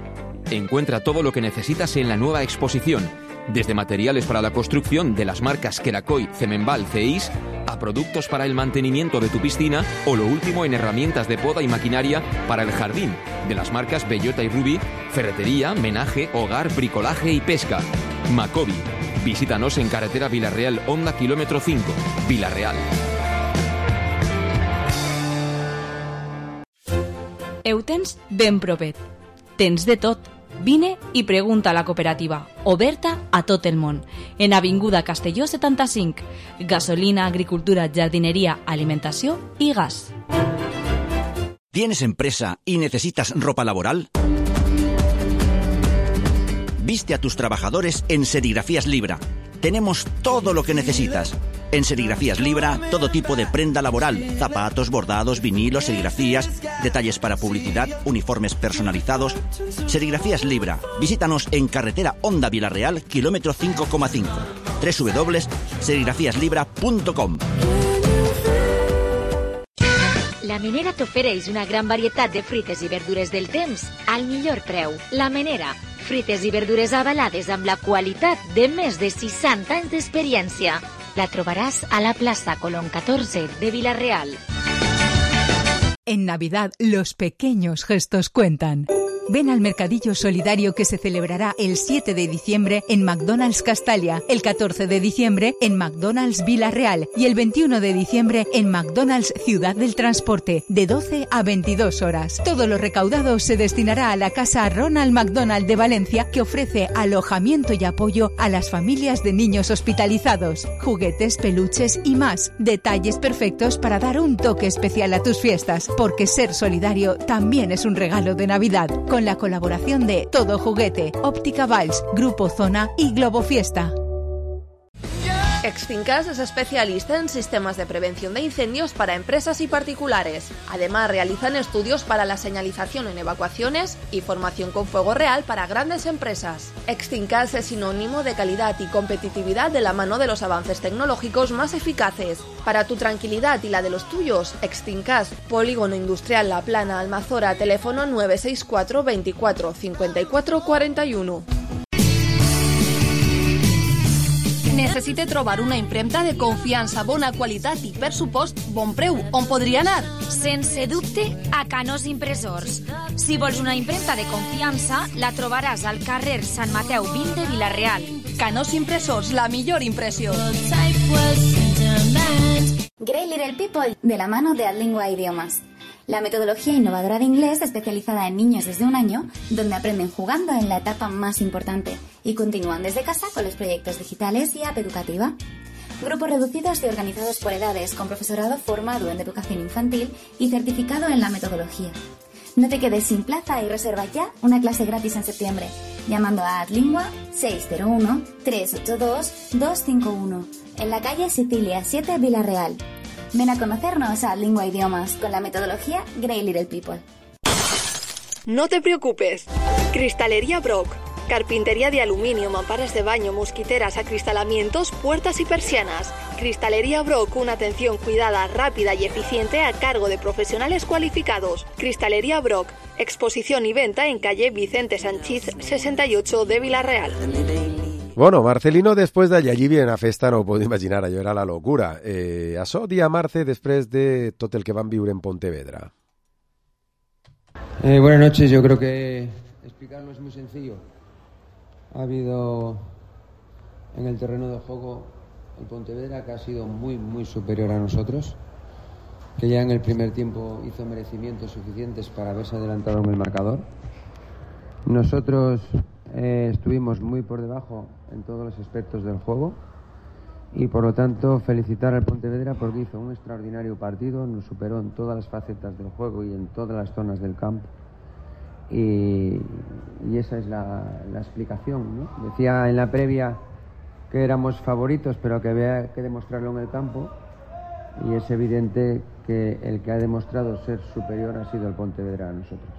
Encuentra todo lo que necesitas en la nueva exposición, desde materiales para la construcción de las marcas Kerakoy, Cemenbal, Ceis, a productos para el mantenimiento de tu piscina o lo último en herramientas de poda y maquinaria para el jardín, de las marcas Bellota y Ruby, ferretería, menaje, hogar, bricolaje y pesca. Macobi. Visítanos en carretera Vila-real, Honda kilómetro 5, Vila-real. Eutens ben propet. Tens de tot. Vine i pregunta a la cooperativa, oberta a tot el món. En Avinguda Castelló 75. Gasolina, agricultura, jardinería, alimentació y gas. ¿Tienes empresa y necesitas ropa laboral? Viste a tus trabajadores en Serigrafías Libra. Tenemos todo lo que necesitas. En Serigrafías Libra, todo tipo de prenda laboral, zapatos, bordados, vinilos, serigrafías, detalles para publicidad, uniformes personalizados. Serigrafías Libra. Visítanos en carretera Honda Vila-real, kilómetro 5,5. www.serigrafiaslibra.com. La Menera t'ofereix una gran varietat de fruites i verdures del temps al millor preu. La Menera, fruites i verdures avalades amb la qualitat de més de 60 anys d'experiència. La trobaràs a la plaça Colón 14 de Vila-real. En Navidad, los pequeños gestos cuentan. Ven al mercadillo solidario que se celebrará el 7 de diciembre en McDonald's Castalia, el 14 de diciembre en McDonald's Vila-real y el 21 de diciembre en McDonald's Ciudad del Transporte, de 12 a 22 horas. Todo lo recaudado se destinará a la Casa Ronald McDonald de Valencia, que ofrece alojamiento y apoyo a las familias de niños hospitalizados, juguetes, peluches y más. Detalles perfectos para dar un toque especial a tus fiestas, porque ser solidario también es un regalo de Navidad. Con la colaboración de Todo Juguete, Óptica Valls, Grupo Zona y Globo Fiesta. Extincas es especialista en sistemas de prevención de incendios para empresas y particulares. Además, realizan estudios para la señalización en evacuaciones y formación con fuego real para grandes empresas. Extincas es sinónimo de calidad y competitividad de la mano de los avances tecnológicos más eficaces. Para tu tranquilidad y la de los tuyos, Extincas, Polígono Industrial La Plana, Almazora, teléfono 964 24 54 41. Necessite trobar una impremta de confiança, bona qualitat i, per supost, bon preu. On podria anar? Sense dubte, a Canós Impressors. Si vols una impremta de confiança, la trobaràs al carrer Sant Mateu 20 de Vila-real. Canós Impressors, la millor impressió. Great Little People, de la mano de Adlingua Idiomas. La metodología innovadora de inglés especializada en niños desde 1 año, donde aprenden jugando en la etapa más importante y continúan desde casa con los proyectos digitales y app educativa. Grupos reducidos y organizados por edades, con profesorado formado en educación infantil y certificado en la metodología. No te quedes sin plaza y reserva ya una clase gratis en septiembre, llamando a Adlingua 601-382-251, en la calle Sicilia 7, Vila-real. Ven a conocernos a Lingua Idiomas con la metodología Great Little People. No te preocupes. Cristalería Brock. Carpintería de aluminio, mamparas de baño, mosquiteras, acristalamientos, puertas y persianas. Cristalería Brock, una atención cuidada, rápida y eficiente a cargo de profesionales cualificados. Cristalería Brock. Exposición y venta en calle Vicente Sanchís 68 de Vila-real. Bueno, Marcelino, después de allí viene a festa, no ho puedo imaginar, allò era la locura. Això, dia Marce, després de tot el que van viure en Pontevedra. Buenas noches, yo creo que explicarlo es muy sencillo. Ha habido en el terreno de juego el Pontevedra que ha sido muy, muy superior a nosotros, que ya en el primer tiempo hizo merecimientos suficientes para haberse adelantado en el marcador. Nosotros estuvimos muy por debajo en todos los aspectos del juego y por lo tanto felicitar al Pontevedra porque hizo un extraordinario partido, nos superó en todas las facetas del juego y en todas las zonas del campo y esa es la explicación, ¿no? Decía en la previa que éramos favoritos, pero que había que demostrarlo en el campo, y es evidente que el que ha demostrado ser superior ha sido el Pontevedra a nosotros.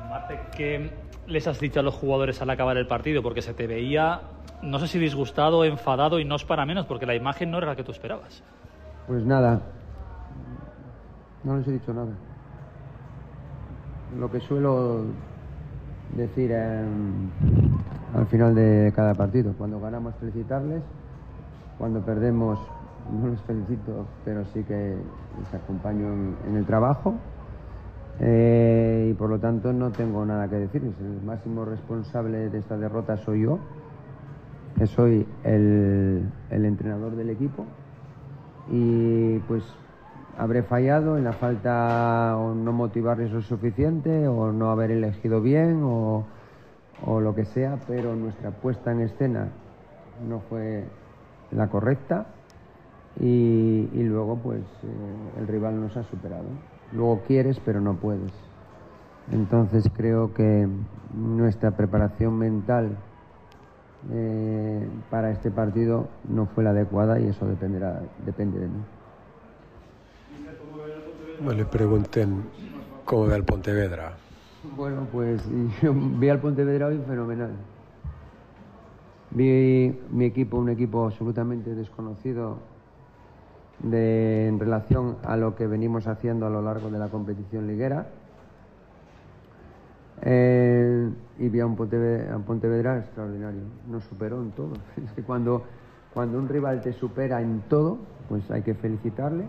Marte, ¿qué les has dicho a los jugadores al acabar el partido? Porque se te veía, no sé si disgustado, enfadado, y no es para menos, porque la imagen no era la que tú esperabas. Pues nada, no les he dicho nada. Lo que suelo decir al final de cada partido: cuando ganamos felicitarles, cuando perdemos no les felicito, pero sí que les acompaño en el trabajo, y por lo tanto no tengo nada que decirles. El máximo responsable de esta derrota soy yo, que soy el entrenador del equipo, y pues habré fallado en la falta, o no motivarles lo suficiente, o no haber elegido bien, o lo que sea, pero nuestra puesta en escena no fue la correcta, y luego pues el rival nos ha superado. Luego quieres pero no puedes. Entonces creo que nuestra preparación mental para este partido no fue la adecuada, y eso depende de mí. Me le pregunten cómo ve al Pontevedra. Bueno, pues yo vi al Pontevedra hoy fenomenal. Vi mi equipo, un equipo absolutamente desconocido en relación a lo que venimos haciendo a lo largo de la competición liguera, y vi a un Pontevedra extraordinario. Nos superó en todo. Es que cuando un rival te supera en todo, pues hay que felicitarle,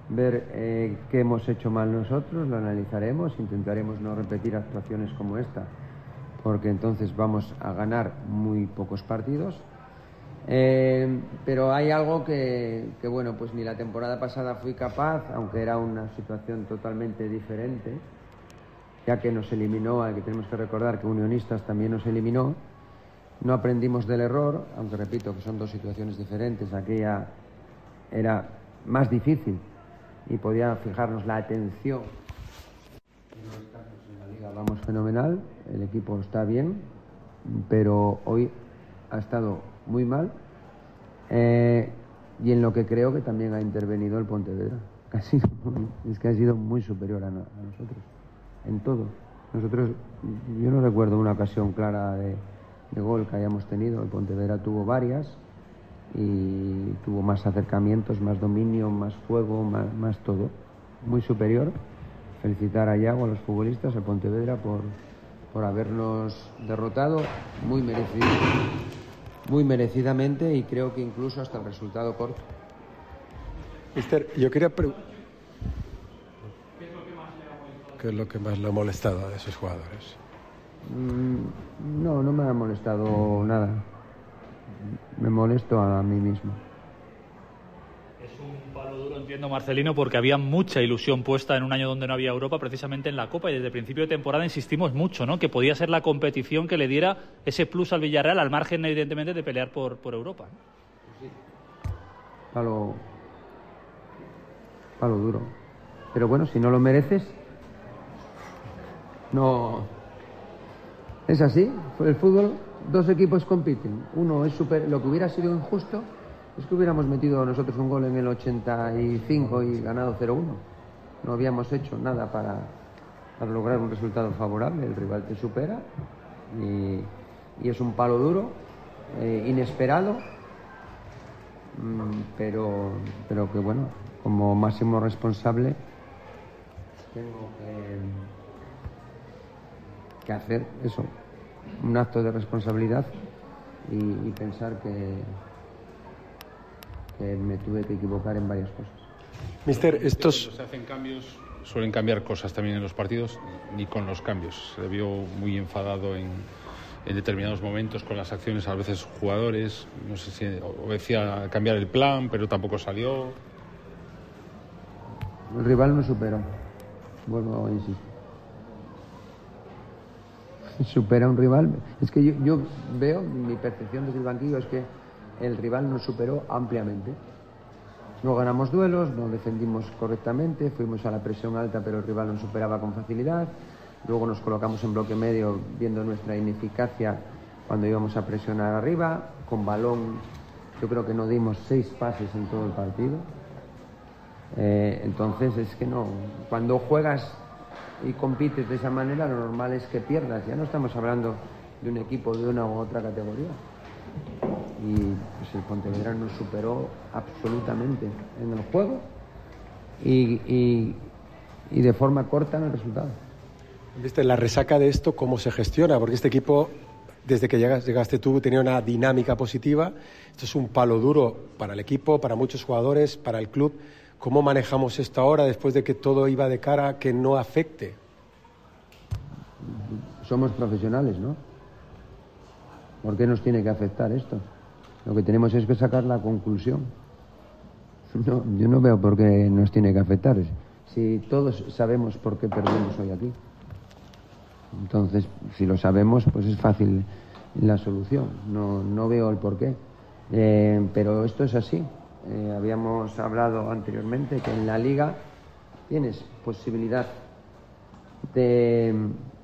ver qué hemos hecho mal nosotros, lo analizaremos, intentaremos no repetir actuaciones como esta, porque entonces vamos a ganar muy pocos partidos. Pero hay algo que bueno, pues ni la temporada pasada fui capaz, aunque era una situación totalmente diferente, ya que nos eliminó, que tenemos que recordar que Unionistas también nos eliminó. No aprendimos del error, aunque repito que son dos situaciones diferentes. Aquella era más difícil y podía fijarnos la atención. En la liga vamos fenomenal, el equipo está bien, pero hoy ha estado muy mal, y en lo que creo que también ha intervenido el Pontevedra. Es que ha sido muy superior a nosotros en todo. Yo no recuerdo una ocasión clara de gol que hayamos tenido. El Pontevedra tuvo varias y tuvo más acercamientos, más dominio, más juego, más todo. Muy superior. Felicitar a Iago, a los futbolistas, al Pontevedra por habernos derrotado muy merecidamente, y creo que incluso hasta el resultado corto. Mister, yo quería preguntar, ¿qué es lo que más le ha molestado a esos jugadores? No me ha molestado nada. Me molesto a mí mismo. Es un palo duro, entiendo, Marcelino, porque había mucha ilusión puesta en un año donde no había Europa, precisamente en la Copa, y desde el principio de temporada insistimos mucho, ¿no?, que podía ser la competición que le diera ese plus al Villarreal, al margen, evidentemente, de pelear por Europa, ¿no? Sí. Palo duro. Pero bueno, si no lo mereces, no. Es así, el fútbol, dos equipos compiten. Uno es lo que hubiera sido injusto es que hubiéramos metido nosotros un gol en el 85 y ganado 0-1. No habíamos hecho nada para lograr un resultado favorable. El rival te supera y es un palo duro, inesperado, pero que bueno, como máximo responsable tengo que hacer eso, un acto de responsabilidad, y pensar que me tuve que equivocar en varias cosas. Mister, estos... Cuando se hacen cambios, suelen cambiar cosas también en los partidos, ni con los cambios. Se vio muy enfadado en determinados momentos con las acciones, a veces jugadores, no sé si obedecía a cambiar el plan, pero tampoco salió. El rival me superó, vuelvo a insistir. Supera un rival. Es que yo veo, mi percepción desde el banquillo es que el rival nos superó ampliamente. No ganamos duelos, no defendimos correctamente, fuimos a la presión alta pero el rival nos superaba con facilidad. Luego nos colocamos en bloque medio viendo nuestra ineficacia cuando íbamos a presionar arriba. Con balón yo creo que no dimos 6 pases en todo el partido. Entonces es que no, cuando juegas y compites de esa manera lo normal es que pierdas. Ya no estamos hablando de un equipo de una u otra categoría. Y pues el Pontevedra nos superó absolutamente en el juego y de forma corta en el resultado. ¿Viste la resaca de esto cómo se gestiona? Porque este equipo, desde que llegaste tú, tenía una dinámica positiva. Esto es un palo duro para el equipo, para muchos jugadores, para el club. ¿Cómo manejamos esto ahora después de que todo iba de cara a que no afecte? Somos profesionales, ¿no? ¿Por qué nos tiene que afectar esto? Lo que tenemos es que sacar la conclusión. No, yo no veo por qué nos tiene que afectar. Si todos sabemos por qué perdemos hoy aquí. Entonces, si lo sabemos, pues es fácil la solución. No veo el porqué. Pero esto es así. Habíamos hablado anteriormente que en la Liga tienes posibilidad de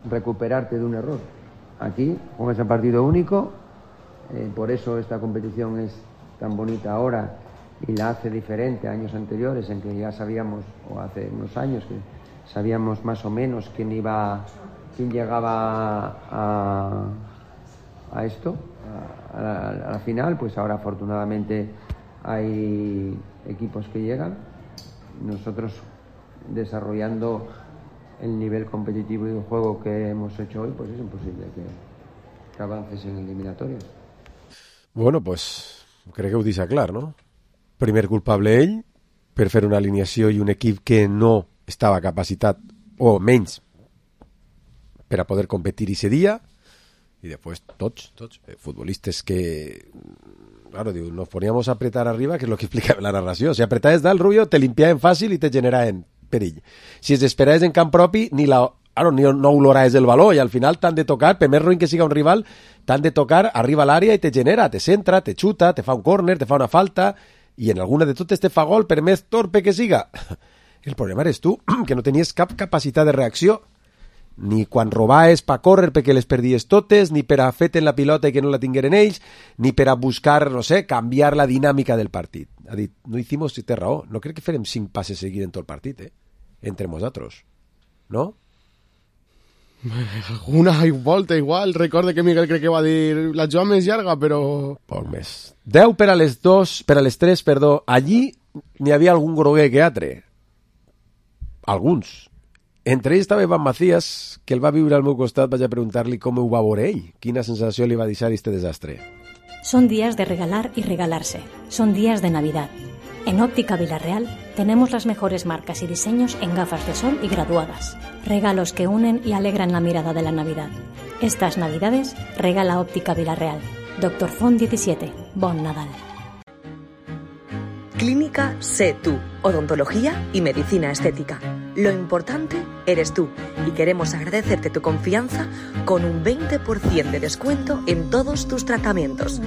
recuperarte de un error. Aquí juegas a partido único, por eso esta competición es tan bonita ahora y la hace diferente a años anteriores en que ya sabíamos, o hace unos años que sabíamos más o menos quién llegaba a esto, a la final. Pues ahora afortunadamente hay equipos que llegan, nosotros desarrollando el nivel competitivo y de juego que hemos hecho hoy, pues es imposible que avances en eliminatorias. Bueno, pues crec que ho deixa clar, no? Primer culpable ell per fer una alineació i un equip que no estava capacitat, o menys, per a poder competir ese dia, i després tots, futbolistes que, claro, diu, nos poníamos a apretar arriba, que és lo que explica la narració. Si apretaves dalt, Rubio, te limpiaven fàcil i te generaven perill. Si es esperaves en camp propi, ni no oloraves el valor, i al final t'han de tocar, per més ruïn que siga un rival, t'han de tocar, arriba a l'àrea i te genera, te centra, te xuta, te fa un córner, te fa una falta, i en alguna de totes te fa gol, per més torpe que siga. El problema eres tu, que no tenies cap capacitat de reacció, ni quan robaves pa córrer perquè les perdies totes, ni per a fer-te la pilota i que no la tingueren ells, ni per a buscar, no sé, canviar la dinàmica del partit. Ha dit, no hicimos, si té raó, no crec que farem 5 passes seguits en tot el partit, entre nosaltres, no? Una volta igual, recorde que Miguel crec que va dir la jugada més llarga, però... Poc més. 10 per a les 3, allí n'hi havia algun groguer que altre. Alguns. Entre ells estava Iván Macías, que el va viure al meu costat. Vaig a preguntar-li com ho va veure ell, quina sensació li va deixar este desastre. Son días de regalar y regalarse. Son días de Navidad. En Óptica Villarreal tenemos las mejores marcas y diseños en gafas de sol y graduadas. Regalos que unen y alegran la mirada de la Navidad. Estas Navidades regala Óptica Villarreal. Dr. Font 17. Bon Nadal. Clínica Sé Tú. Odontología y medicina estética. Lo importante eres tú y queremos agradecerte tu confianza con un 20% de descuento en todos tus tratamientos.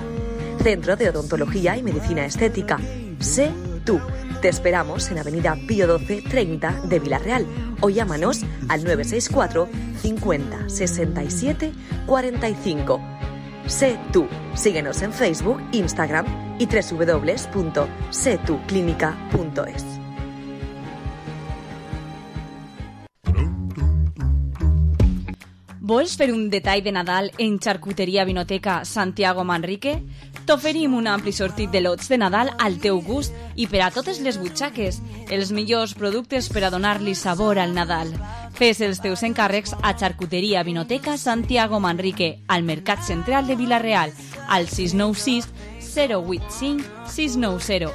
Centro de Odontología y Medicina Estética. Sé Tú. Te esperamos en Avenida Pío 12 30 de Villarreal o llámanos al 964 50 67 45. Sé Tú. Síguenos en Facebook, Instagram y www.setuclinica.es. Vols fer un detall de Nadal en Xarcuteria Vinoteca Santiago Manrique? T'oferim un ampli sortit de lots de Nadal al teu gust i per a totes les butxaques, els millors productes per a donar-li sabor al Nadal. Fes els teus encàrrecs a Xarcuteria Vinoteca Santiago Manrique, al Mercat Central de Vila-real, al 696 085 690.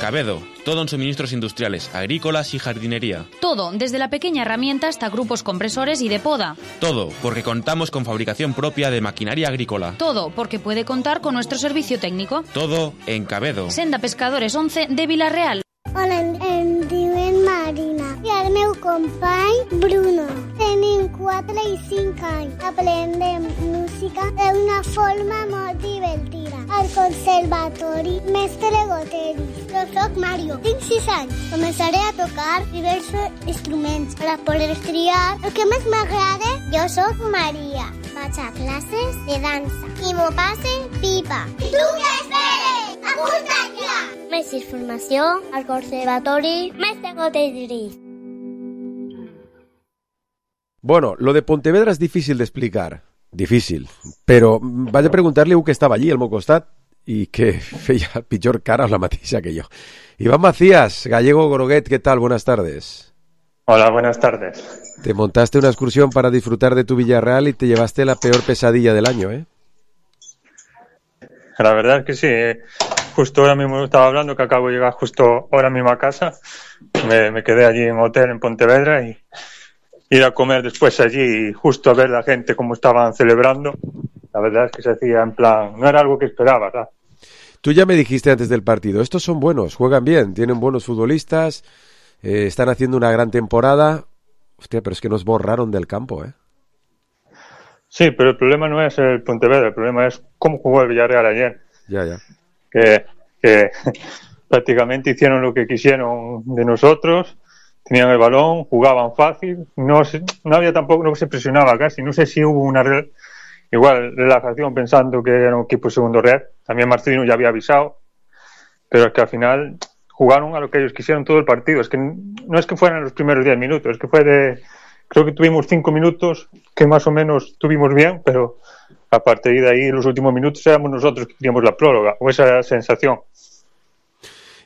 Cabedo, todo en suministros industriales, agrícolas y jardinería. Todo, desde la pequeña herramienta hasta grupos compresores y de poda. Todo, porque contamos con fabricación propia de maquinaria agrícola. Todo, porque puede contar con nuestro servicio técnico. Todo en Cabedo. Senda Pescadores 11 de Vila-real. Hola, em diuen Marina i el meu company Bruno. Tenim 4 i 5 anys. Aprendem música d'una forma molt Conservatori Mestre Goteris. Jo soc Mario, tinc 6 anys. Començaré a tocar diversos instruments per a poder triar el que més m'agrada. Jo soc Maria. Vaig a classes de dansa i m'ho passe pipa. I tu què esperes? Apunta't ja! Més informació al Conservatori Mestre Goteris. Bueno, lo de Pontevedra es difícil de explicar. Difícil. Però vaig a preguntar-li a un que estava allí, al meu costat, i que feia pitjor cara o la mateixa que jo. Iván Macías, Gallego Groguet, ¿qué tal? Buenas tardes. Hola, buenas tardes. Te montaste una excursión para disfrutar de tu Villarreal y te llevaste la peor pesadilla del año, ¿eh? La verdad es que sí. Justo ahora mismo estaba hablando que acabo de llegar justo ahora mismo a casa. Me quedé allí en un hotel en Pontevedra y ir a comer después allí y justo a ver la gente cómo estaban celebrando. La verdad es que se hacía en plan, no era algo que esperaba, ¿verdad? Tú ya me dijiste antes del partido, estos son buenos, juegan bien, tienen buenos futbolistas, están haciendo una gran temporada. Hostia, pero es que nos borraron del campo, ¿eh? Sí, pero el problema no es el Pontevedra, el problema es cómo jugó el Villarreal ayer. Ya. Que prácticamente hicieron lo que quisieron de nosotros, tenían el balón, jugaban fácil, no había tampoco, no se presionaba casi, no sé si hubo una relajación pensando que era un equipo segundo red. También Marcelino ya había avisado, pero es que al final jugaron a lo que ellos quisieron todo el partido. Es que no es que fueran los primeros 10 minutos, es que creo que tuvimos 5 minutos que más o menos tuvimos bien, pero a partir de ahí los últimos minutos éramos nosotros que queríamos la prórroga, o esa sensación.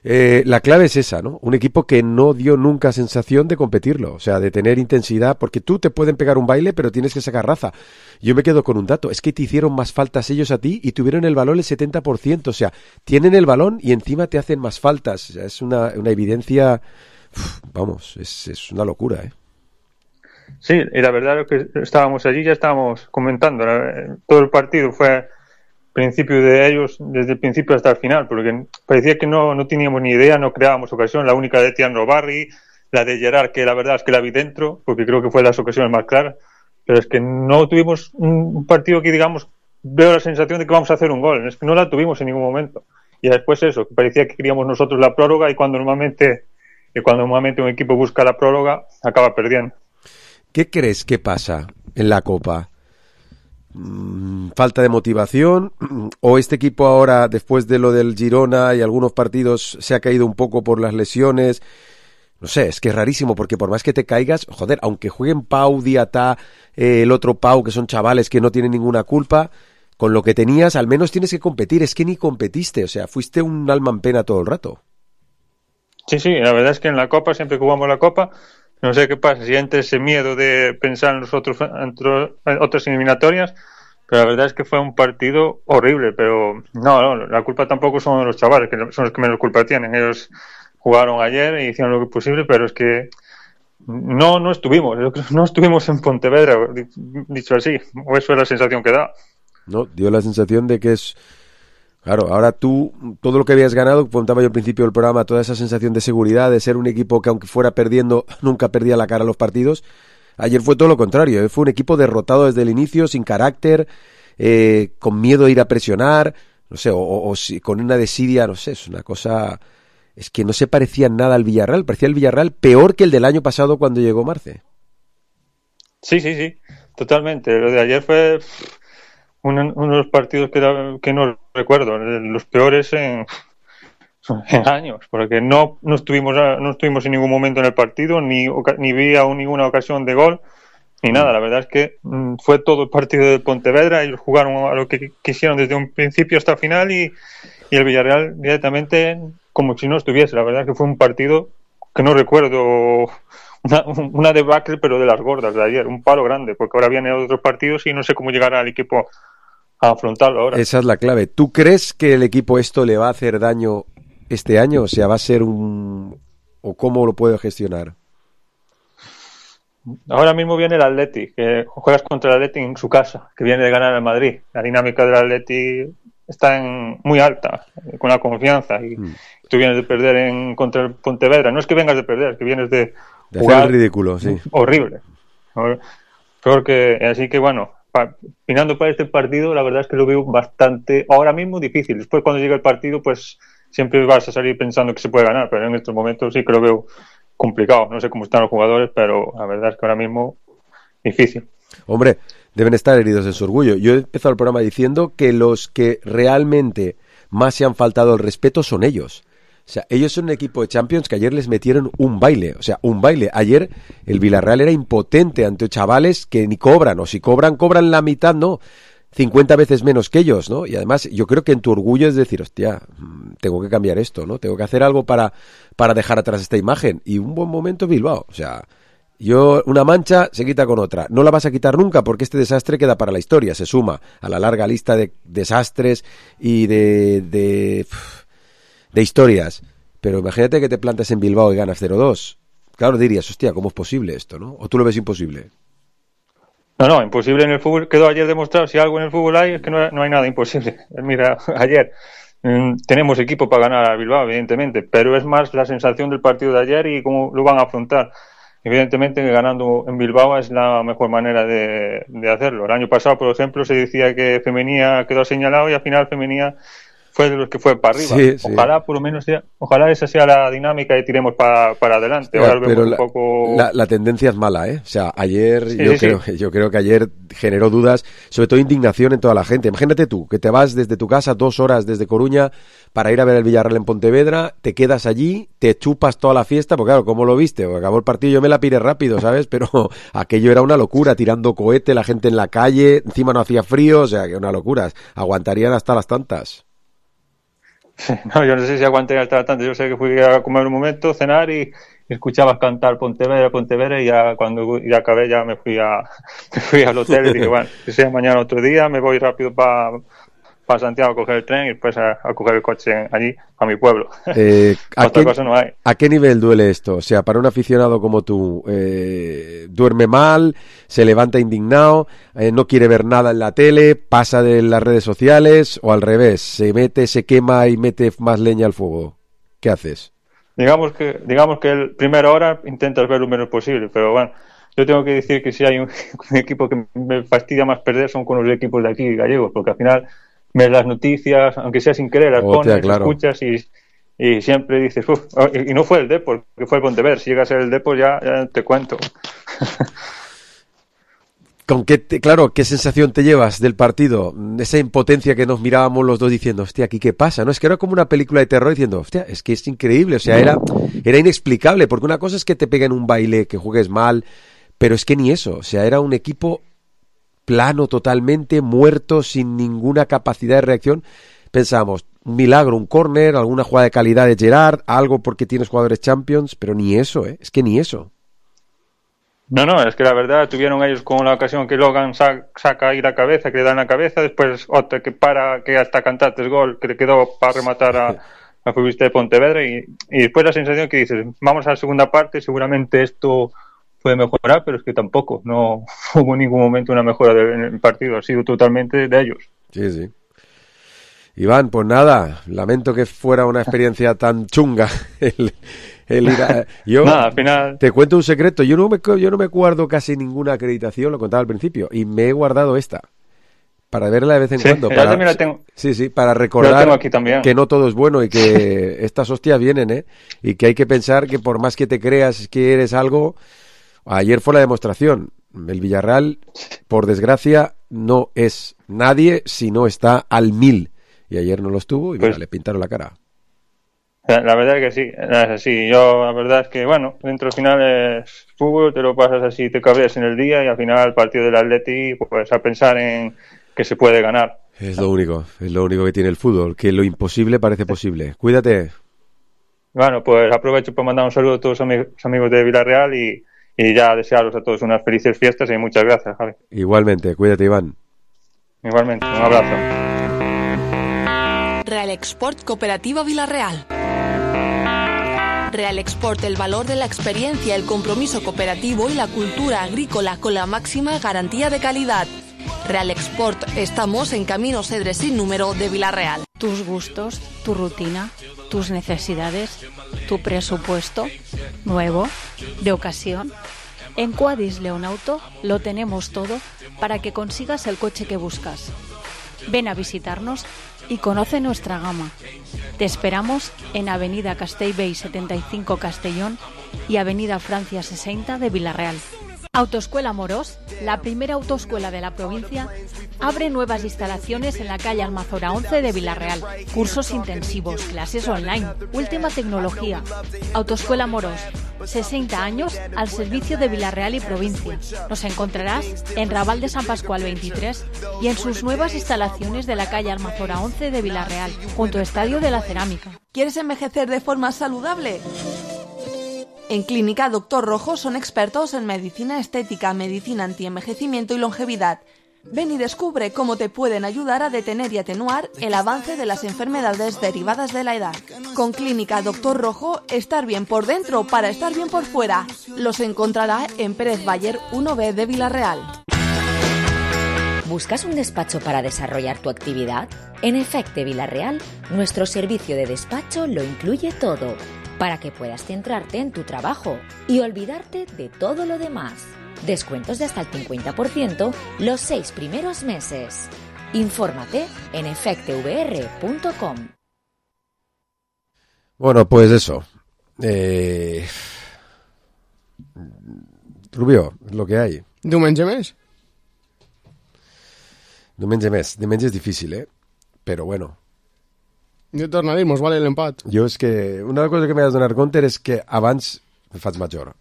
La clave es esa, ¿no? Un equipo que no dio nunca sensación de competirlo, o sea, de tener intensidad, porque tú te pueden pegar un baile, pero tienes que sacar raza. Yo me quedo con un dato, es que te hicieron más faltas ellos a ti y tuvieron el balón el 70%, o sea, tienen el balón y encima te hacen más faltas. O sea, es una evidencia, vamos, es una locura, ¿eh? Sí, y la verdad es que estábamos allí, ya estábamos comentando, todo el partido fue principio de ellos desde el principio hasta el final, porque parecía que no teníamos ni idea, no creábamos ocasión. La única de Tian Robarri, la de Gerard, que la verdad es que la vi dentro, porque creo que fue las ocasiones más claras, pero es que no tuvimos un partido que, digamos, veo la sensación de que vamos a hacer un gol, es que no la tuvimos en ningún momento. Y después eso, que parecía que queríamos nosotros la prórroga, y cuando normalmente un equipo busca la prórroga, acaba perdiendo. ¿Qué crees que pasa en la Copa? ¿Falta de motivación? ¿O este equipo ahora, después de lo del Girona y algunos partidos, se ha caído un poco por las lesiones? No sé, es que es rarísimo, porque por más que te caigas, joder, aunque jueguen Pau, Diatá, el otro Pau, que son chavales que no tienen ninguna culpa, con lo que tenías, al menos tienes que competir. Es que ni competiste, o sea, fuiste un alma en pena todo el rato. Sí, la verdad es que en la Copa, siempre que jugamos la Copa, no sé qué pasa, si entra ese miedo de pensar en otras eliminatorias, pero la verdad es que fue un partido horrible. Pero no, la culpa tampoco son los chavales, que son los que menos culpa tienen. Ellos jugaron ayer e hicieron lo que posible, pero es que no estuvimos en Pontevedra, dicho así, o eso es la sensación que da. No, dio la sensación de que es... Claro, ahora tú, todo lo que habías ganado, contaba yo al principio del programa, toda esa sensación de seguridad, de ser un equipo que aunque fuera perdiendo, nunca perdía la cara a los partidos. Ayer fue todo lo contrario, fue un equipo derrotado desde el inicio, sin carácter, con miedo a ir a presionar, no sé, o con una desidia, no sé, es una cosa... Es que no se parecía nada al Villarreal, parecía el Villarreal peor que el del año pasado cuando llegó Marce. Sí, totalmente. Lo de ayer fue uno de los partidos que no recuerdo, los peores en años, porque no estuvimos en ningún momento en el partido, ni vi ninguna ocasión de gol, ni nada. La verdad es que fue todo el partido de Pontevedra, ellos jugaron a lo que quisieron desde un principio hasta el final, y el Villarreal directamente como si no estuviese. La verdad es que fue un partido que no recuerdo, una debacle, pero de las gordas de ayer, un palo grande, porque ahora vienen otros partidos y no sé cómo llegará el equipo a afrontarlo ahora. Esa es la clave. ¿Tú crees que el equipo esto le va a hacer daño este año? O sea, ¿va a ser o cómo lo puede gestionar? Ahora mismo viene el Atleti, que juegas contra el Atleti en su casa, que viene de ganar al Madrid. La dinámica del Atleti está muy alta, con la confianza, y tú vienes de perder contra el Pontevedra. No es que vengas de perder, es que vienes de jugar hacer el ridículo, sí. Horrible. Así que bueno, opinando para este partido, la verdad es que lo veo bastante, ahora mismo, difícil. Después, cuando llegue el partido, pues siempre vas a salir pensando que se puede ganar, pero en estos momentos sí que lo veo complicado. No sé cómo están los jugadores, pero la verdad es que ahora mismo difícil. Hombre, deben estar heridos en su orgullo. Yo he empezado el programa diciendo que los que realmente más se han faltado el respeto son ellos. O sea, ellos son un equipo de Champions que ayer les metieron un baile. O sea, un baile. Ayer el Villarreal era impotente ante chavales que ni cobran. O si cobran la mitad, no. 50 veces menos que ellos, ¿no? Y además yo creo que en tu orgullo es decir, hostia, tengo que cambiar esto, ¿no? Tengo que hacer algo para dejar atrás esta imagen. Y un buen momento Bilbao. O sea, una mancha se quita con otra. No la vas a quitar nunca porque este desastre queda para la historia. Se suma a la larga lista de desastres y de historias, pero imagínate que te plantas en Bilbao y ganas 0-2. Claro, dirías, hostia, ¿cómo es posible esto, no? ¿O tú lo ves imposible? No, imposible en el fútbol. Quedó ayer demostrado, si algo en el fútbol hay, es que no hay nada imposible. Mira, ayer tenemos equipo para ganar a Bilbao, evidentemente, pero es más la sensación del partido de ayer y cómo lo van a afrontar. Evidentemente que ganando en Bilbao es la mejor manera de hacerlo. El año pasado, por ejemplo, se decía que Femenía quedó señalado y al final Femenía fue de los que fue para arriba. Sí. Ojalá por lo menos ojalá esa sea la dinámica y tiremos para adelante. Ahora pero vemos un poco... la tendencia es mala, ¿eh? O sea, ayer yo creo que ayer generó dudas, sobre todo indignación en toda la gente. Imagínate tú, que te vas desde tu casa 2 horas desde Coruña para ir a ver el Villarreal en Pontevedra, te quedas allí, te chupas toda la fiesta, porque claro, ¿cómo lo viste? Acabó el partido, yo me la piré rápido, ¿sabes? Pero aquello era una locura, tirando cohete, la gente en la calle, encima no hacía frío, o sea, que una locura. Aguantarían hasta las tantas. No, yo no sé si aguanté hasta tanto. Yo sé que fui a comer un momento, cenar y escuchabas cantar Pontevedra y ya cuando ya acabé ya me fui al hotel y dije, bueno, que sea mañana otro día, me voy rápido para Santiago a coger el tren y después a coger el coche allí, a mi pueblo. Otra cosa no hay. ¿A qué nivel duele esto? O sea, para un aficionado como tú, duerme mal, se levanta indignado, no quiere ver nada en la tele, pasa de las redes sociales o al revés, se quema y mete más leña al fuego. ¿Qué haces? Digamos que el primera hora intentas ver lo menos posible, pero bueno, yo tengo que decir que si hay un equipo que me fastidia más perder son con los equipos de aquí gallegos, porque al final ves las noticias, aunque sea sin querer, las pones, claro. Escuchas y siempre dices, y no fue el Depor, que fue el Pontevedra. Si llega a ser el Depor ya te cuento. ¿Qué sensación te llevas del partido? Esa impotencia que nos mirábamos los dos diciendo, hostia, ¿aquí qué pasa? No, es que era como una película de terror diciendo, hostia, es que es increíble, o sea, era inexplicable, porque una cosa es que te peguen un baile, que juegues mal, pero es que ni eso, o sea, era un equipo plano totalmente, muerto, sin ninguna capacidad de reacción. Pensábamos, un milagro, un córner, alguna jugada de calidad de Gerard, algo porque tienes jugadores Champions, pero ni eso, es que ni eso. No, es que la verdad tuvieron ellos como la ocasión que Logan saca ahí la cabeza, que le dan la cabeza, después otra que que hasta cantaste gol, que le quedó para rematar a futbolista de Pontevedra y después la sensación que dices, vamos a la segunda parte, seguramente esto puede mejorar, pero es que tampoco, no hubo en ningún momento una mejora en el partido, ha sido totalmente de ellos. Sí. Iván, pues nada, lamento que fuera una experiencia tan chunga el ir a... al final... Te cuento un secreto, yo no me guardo casi ninguna acreditación, lo contaba al principio, y me he guardado esta, para verla de vez en cuando. Yo también la tengo. Sí, para recordar aquí también. Que no todo es bueno y que estas hostias vienen, y que hay que pensar que por más que te creas que eres algo... Ayer fue la demostración. El Villarreal, por desgracia, no es nadie si no está al 1000. Y ayer no lo estuvo y le pintaron la cara. La verdad es que sí, es así. Yo, la verdad es que, bueno, dentro del final es fútbol, te lo pasas así, te cabreas en el día y al final el partido del Atleti, pues a pensar en que se puede ganar. Es lo único que tiene el fútbol, que lo imposible parece posible. Cuídate. Bueno, pues aprovecho para mandar un saludo a todos los amigos de Villarreal y ya desearos a todos unas felices fiestas y muchas gracias, Javi. Igualmente, cuídate, Iván. Igualmente, un abrazo. Real Export Cooperativa Villarreal. Real Export, el valor de la experiencia, el compromiso cooperativo y la cultura agrícola con la máxima garantía de calidad. Real Export, estamos en Camino Cedre sin número de Villarreal. Tus gustos, tu rutina, tus necesidades, tu presupuesto, nuevo, de ocasión. En Quadis León Auto lo tenemos todo para que consigas el coche que buscas. Ven a visitarnos y conoce nuestra gama. Te esperamos en Avenida Castellbell 75 Castellón y Avenida Francia 60 de Villarreal. Autoescuela Morós, la primera autoescuela de la provincia, abre nuevas instalaciones en la calle Almazora 11 de Villarreal. Cursos intensivos, clases online, última tecnología. Autoescuela Morós, 60 años al servicio de Villarreal y provincia. Nos encontrarás en Raval de San Pascual 23 y en sus nuevas instalaciones de la calle Almazora 11 de Villarreal, junto al Estadio de la Cerámica. ¿Quieres envejecer de forma saludable? En Clínica Doctor Rojo son expertos en medicina estética, medicina antienvejecimiento y longevidad. Ven y descubre cómo te pueden ayudar a detener y atenuar el avance de las enfermedades derivadas de la edad. Con Clínica Doctor Rojo, estar bien por dentro para estar bien por fuera. Los encontrará en Pérez Bayer 1B de Villarreal. ¿Buscas un despacho para desarrollar tu actividad? En Efecte Villarreal, nuestro servicio de despacho lo incluye todo, para que puedas centrarte en tu trabajo y olvidarte de todo lo demás. Descuentos de hasta el 50% los 6 primeros meses. Infórmate en efectevr.com. Bueno, pues eso. Rubio, es lo que hay. Diumenge més? Diumenge més. Diumenge és difícil, Però bueno. Jo tornaré, mos vale l'empat. Jo és que una cosa que m'he de donar compte és que abans me faig major.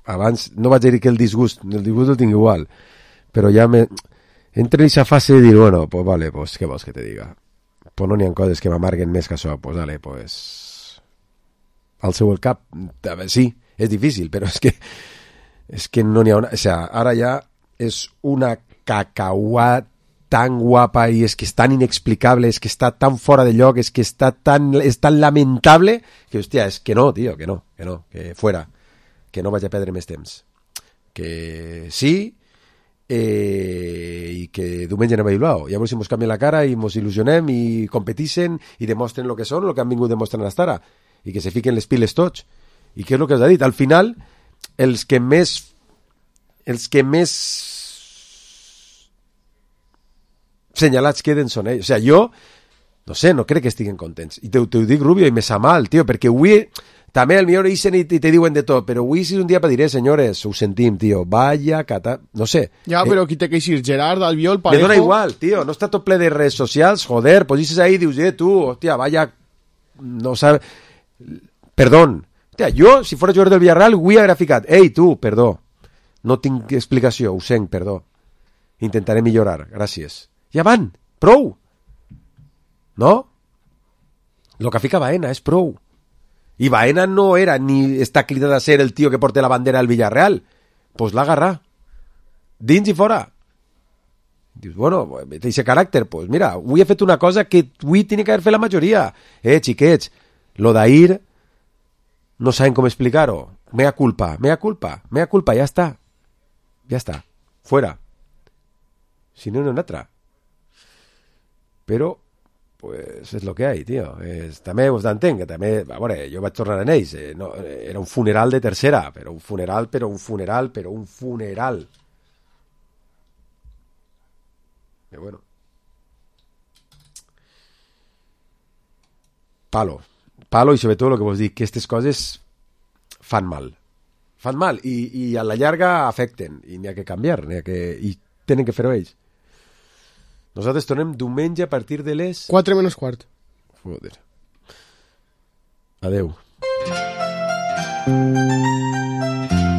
Abans no vaig dir que el disgust el tinc igual, però ja entre en aquesta fase de dir, bueno, pues vale, pues què vols que te diga? Pues no n'hi ha coses que m'amarguen més que això, pues dale, pues al seu el cap, sí, és difícil, però és que no n'hi ha una... O sea, ara ja és una cacauat tan guapa y es que es tan inexplicable, es que está tan fuera de lloc, es que es tan lamentable que, hostia, es que no, tío, que fuera, que no vaya a perdre més temps. Que sí, i que diumenge anem a Bilbao. I a veure si mos canvien la cara i mos il·lusionem i competixen i demostren el que són, el que han vingut demostrant hasta ara, i que se fiquen les piles tots. I què és el que us ha dit? Al final, els que més senyalats queden són ells. O sigui, jo, no sé, no crec que estiguen contents. I te ho dic, Rubio, i me sa mal, tio, perquè avui també al millor ixen i te diuen de tot, però avui és un dia per dir, senyores, ho sentim, tio, vaya cata... No sé. Ja, però qui té que eixir? Gerard, Albiol, Parejo... Me dona igual, tio, no està tot ple de redes socials, joder, pues dices ahí, dius, tu, hòstia, vaya... No sabe... Perdón. Hòstia, jo, si fora jugador del Villarreal, avui hauria ficat, ei, tu, perdó, no tinc explicació, ho sent, perdó. Intentaré millorar, gràcies. Ja van, prou. No? Lo que fica Baena és prou. I Baena no era ni està cridat a ser el tio que porta la bandera al Villarreal. Pues l'ha agarrat. Dins i fora. Dius, bueno, té ese caràcter. Pues mira, avui he fet una cosa que avui tiene que haver fet la majoria. Xiquets, lo d'ahir no saben com explicar-ho. Mea culpa, ja està. Ja està. Fuera. Si no, no en altra. Però, pues, és lo que hay, tio. També us d'entenc, que també, a veure, jo vaig tornar en ells, no, era un funeral de tercera, però un funeral. Però bueno. Palo, i sobretot el que vos dic, que aquestes coses fan mal. I a la llarga afecten, i n'hi ha que canviar, i tenen que fer-ho ells. Nosaltres tornem diumenge a partir de les... 4 menys quart. Joder. Adeu.